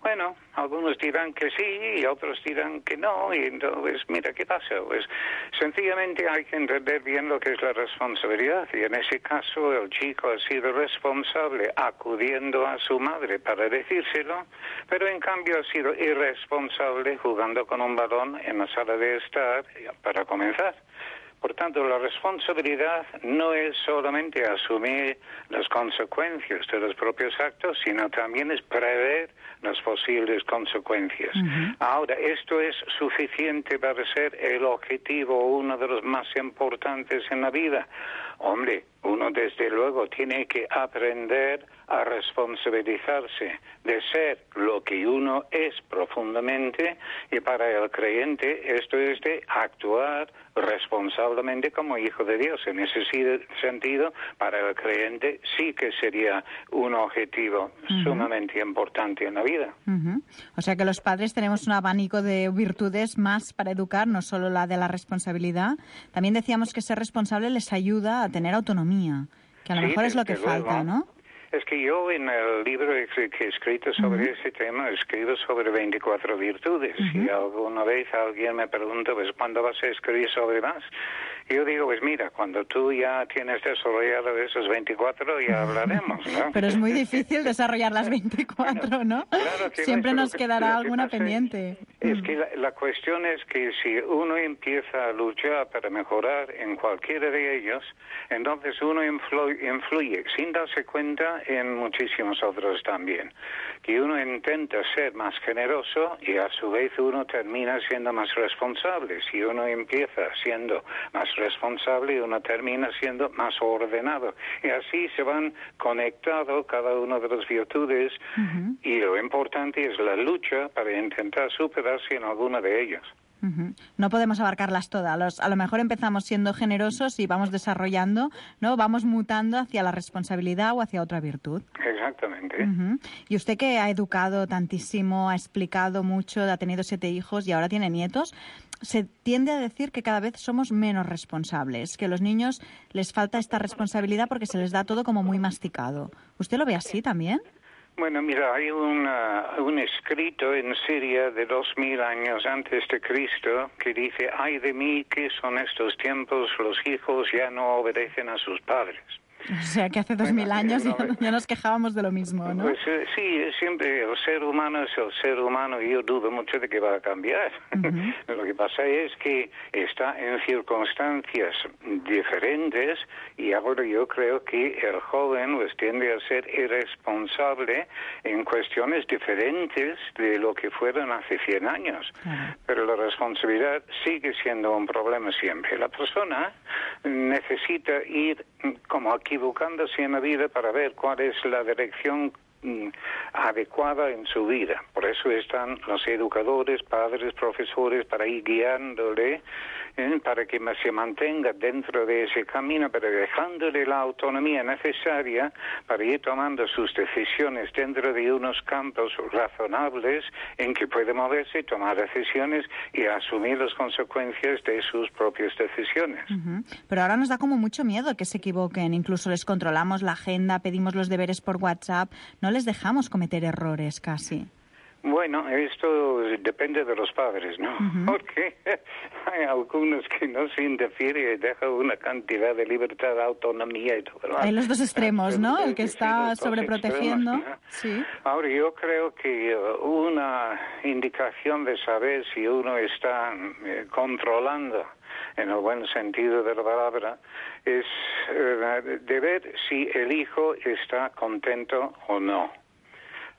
Bueno, algunos dirán que sí y otros dirán que no, y entonces, mira, ¿qué pasa? Pues sencillamente hay que entender bien lo que es la responsabilidad, y en ese caso el chico ha sido responsable acudiendo a su madre para decírselo, pero en cambio ha sido irresponsable jugando con un balón en la sala de estar para comenzar. Por tanto, la responsabilidad no es solamente asumir las consecuencias de los propios actos, sino también es prever las posibles consecuencias. Uh-huh. Ahora, ¿esto es suficiente para ser el objetivo, uno de los más importantes en la vida? Hombre, uno desde luego tiene que aprender a responsabilizarse de ser lo que uno es profundamente, y para el creyente esto es de actuar responsablemente como hijo de Dios. En ese sentido, para el creyente sí que sería un objetivo uh-huh. sumamente importante en la vida. Uh-huh. O sea que los padres tenemos un abanico de virtudes más para educar, no solo la de la responsabilidad. También decíamos que ser responsable les ayuda a tener autonomía, que a lo sí, mejor es lo que luego. falta, ¿no? Es que yo en el libro que he escrito sobre uh-huh. ese tema escribo sobre veinticuatro virtudes. Uh-huh. Y alguna vez alguien me pregunta, pues, ¿cuándo vas a escribir sobre más? Y yo digo, pues mira, cuando tú ya tienes desarrollado esos veinticuatro ya hablaremos, ¿no? Pero es muy difícil desarrollar las veinticuatro, bueno, ¿no? Claro que siempre nos que, quedará alguna pendiente. Es que la, la cuestión es que si uno empieza a luchar para mejorar en cualquiera de ellos, entonces uno influye, influye sin darse cuenta en muchísimos otros también. Que uno intenta ser más generoso y a su vez uno termina siendo más responsable. Si uno empieza siendo más responsable, uno termina siendo más ordenado. Y así se van conectando cada una de las virtudes, uh-huh. y lo importante es la lucha para intentar superarse en alguna de ellas. Uh-huh. No podemos abarcarlas todas. Los, a lo mejor empezamos siendo generosos y vamos desarrollando, ¿no? Vamos mutando hacia la responsabilidad o hacia otra virtud. Exactamente. Uh-huh. Y usted que ha educado tantísimo, ha explicado mucho, ha tenido siete hijos y ahora tiene nietos, se tiende a decir que cada vez somos menos responsables, que a los niños les falta esta responsabilidad porque se les da todo como muy masticado. ¿Usted lo ve así también? Bueno, mira, hay una, un escrito en Siria de dos mil años antes de Cristo que dice, ay de mí, ¿qué son estos tiempos? Los hijos ya no obedecen a sus padres. O sea, que hace dos mil años ya, ya nos quejábamos de lo mismo, ¿no? Pues eh, sí, siempre el ser humano es el ser humano y yo dudo mucho de que va a cambiar. Uh-huh. Lo que pasa es que está en circunstancias diferentes y ahora yo creo que el joven pues tiende a ser irresponsable en cuestiones diferentes de lo que fueron hace cien años. Uh-huh. Pero la responsabilidad sigue siendo un problema siempre. La persona necesita ir como aquí equivocándose en la vida para ver cuál es la dirección mm, adecuada en su vida. Por eso están los educadores, padres, profesores, para ir guiándole eh, para que se mantenga dentro de ese camino, pero dejándole la autonomía necesaria para ir tomando sus decisiones dentro de unos campos razonables en que puede moverse, tomar decisiones y asumir las consecuencias de sus propias decisiones. Uh-huh. Pero ahora nos da como mucho miedo que se equivoquen, incluso les controlamos la agenda, pedimos los deberes por WhatsApp, no les dejamos cometer errores casi. Bueno, esto depende de los padres, ¿no? Uh-huh. Porque hay algunos que no se interfiere y dejan una cantidad de libertad, autonomía y todo. Hay los dos extremos, ¿no? El que está sobreprotegiendo. Extremos, ¿no? Sí. Ahora, yo creo que una indicación de saber si uno está eh, controlando en el buen sentido de la palabra, es eh, de ver si el hijo está contento o no.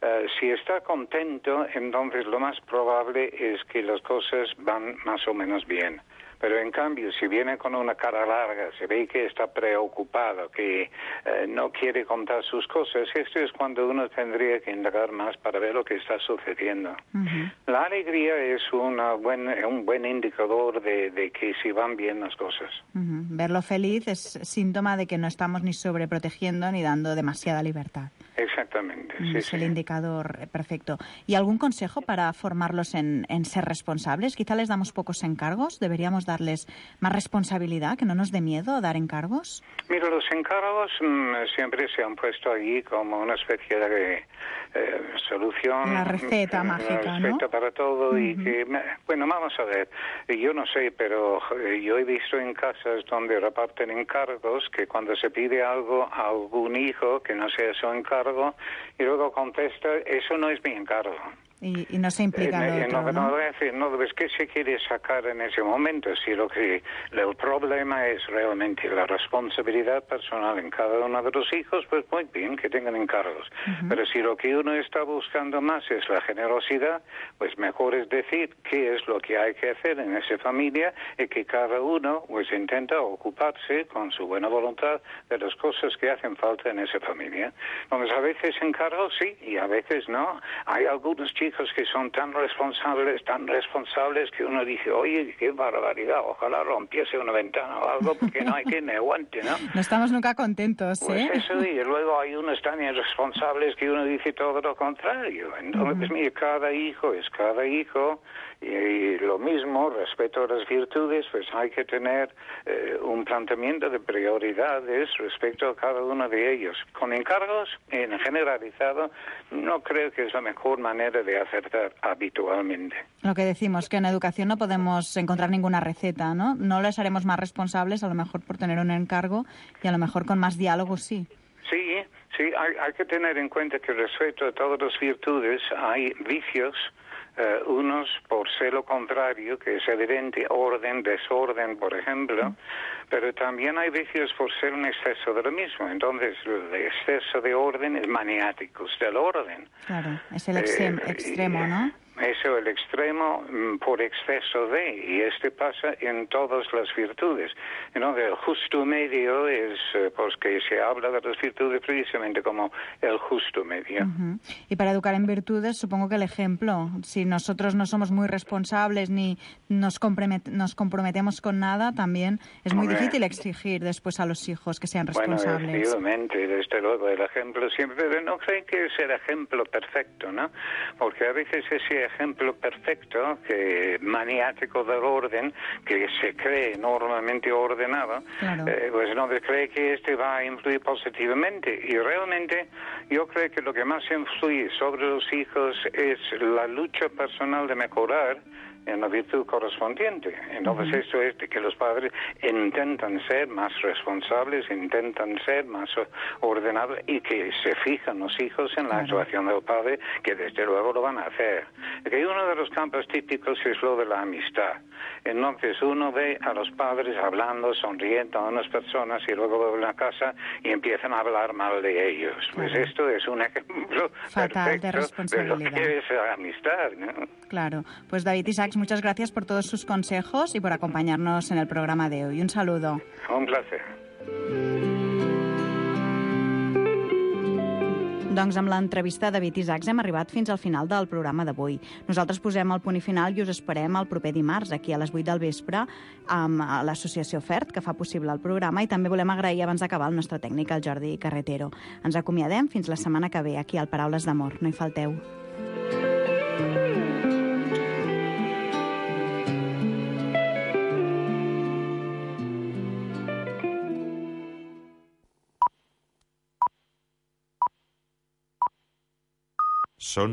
Uh, si está contento, entonces lo más probable es que las cosas van más o menos bien. Pero en cambio, si viene con una cara larga, se ve que está preocupado, que uh, no quiere contar sus cosas, esto es cuando uno tendría que indagar más para ver lo que está sucediendo. Uh-huh. La alegría es una buen, un buen indicador de, de que si van bien las cosas. Uh-huh. Verlo feliz es síntoma de que no estamos ni sobreprotegiendo ni dando demasiada libertad. Exactamente. Sí, es sí. el indicador perfecto. ¿Y algún consejo para formarlos en, en ser responsables? Quizá les damos pocos encargos. ¿Deberíamos darles más responsabilidad, que no nos dé miedo dar encargos? Mira, los encargos mmm, siempre se han puesto allí como una especie de eh, solución. La receta una mágica, receta ¿no? para todo. Uh-huh. Y que, bueno, vamos a ver. Yo no sé, pero yo he visto en casas donde reparten encargos que cuando se pide algo a algún hijo que no sea su encargo, y luego contesta, eso no es mi encargo. Y, y no se implica eh, el otro, no, ¿no? no, decir, no, es que se quiere sacar en ese momento. Si lo que el problema es realmente la responsabilidad personal en cada uno de los hijos, pues muy bien que tengan encargos. Uh-huh. Pero si lo que uno está buscando más es la generosidad, pues mejor es decir qué es lo que hay que hacer en esa familia y que cada uno pues intenta ocuparse con su buena voluntad de las cosas que hacen falta en esa familia. Entonces a veces encargos sí y a veces no. Hay algunos chicos que son tan responsables, tan responsables que uno dice, oye, qué barbaridad, ojalá rompiese una ventana o algo porque no hay quien me aguante, ¿no? No estamos nunca contentos, ¿eh? Pues eso, y luego hay unos tan irresponsables que uno dice todo lo contrario. Entonces, uh-huh. mira, cada hijo es cada hijo y, y lo mismo, respecto a las virtudes, pues hay que tener eh, un planteamiento de prioridades respecto a cada uno de ellos. Con encargos, en generalizado, no creo que es la mejor manera de acertar habitualmente. Lo que decimos, que en educación no podemos encontrar ninguna receta, ¿no? No les haremos más responsables, a lo mejor por tener un encargo, y a lo mejor con más diálogo sí. Sí, sí, hay, hay que tener en cuenta que respecto a todas las virtudes hay vicios, uh, unos por ser lo contrario, que es evidente, orden, desorden, por ejemplo, mm. pero también hay vicios por ser un exceso de lo mismo. Entonces, el exceso de orden es maniáticos del orden. Claro, es el extremo, eh, extremo, ¿no? Eso, el extremo por exceso de, y este pasa en todas las virtudes. ¿No? El justo medio es, pues que se habla de las virtudes precisamente como el justo medio. Uh-huh. Y para educar en virtudes, supongo que el ejemplo, si nosotros no somos muy responsables ni nos, compromet- nos comprometemos con nada, también es muy Hombre. difícil exigir después a los hijos que sean responsables. Bueno, efectivamente, desde luego, el ejemplo siempre, pero no creen que es el ejemplo perfecto, ¿no? Porque a veces ese ejemplo perfecto, que maniático del orden, que se cree normalmente ordenado, claro. eh, pues no se cree que este va a influir positivamente. Y realmente yo creo que lo que más influye sobre los hijos es la lucha personal de mejorar en la virtud correspondiente. Entonces uh-huh. esto es de que los padres intentan ser más responsables, intentan ser más ordenados y que se fijan los hijos en la claro. actuación del padre, que desde luego lo van a hacer. Que uno de los campos típicos es lo de la amistad. Entonces uno ve a los padres hablando, sonriendo a unas personas y luego vuelven a casa y empiezan a hablar mal de ellos. Pues claro. esto es un ejemplo fatal perfecto de responsabilidad. de lo que es la amistad, ¿no? Claro. Pues David Isaacs, muchas gracias por todos sus consejos y por acompañarnos en el programa de hoy. Un saludo. Un placer. Doncs amb l'entrevista de David Isaacs hem arribat fins al final del programa d'avui. Nosaltres posem el punt i final i us esperem el proper dimarts, aquí a les vuit del vespre, amb l'associació FERT, que fa possible el programa, i també volem agrair abans d'acabar el nostre tècnic, el Jordi Carretero. Ens acomiadem fins la setmana que ve, aquí al Paraules d'Amor. No hi falteu. Són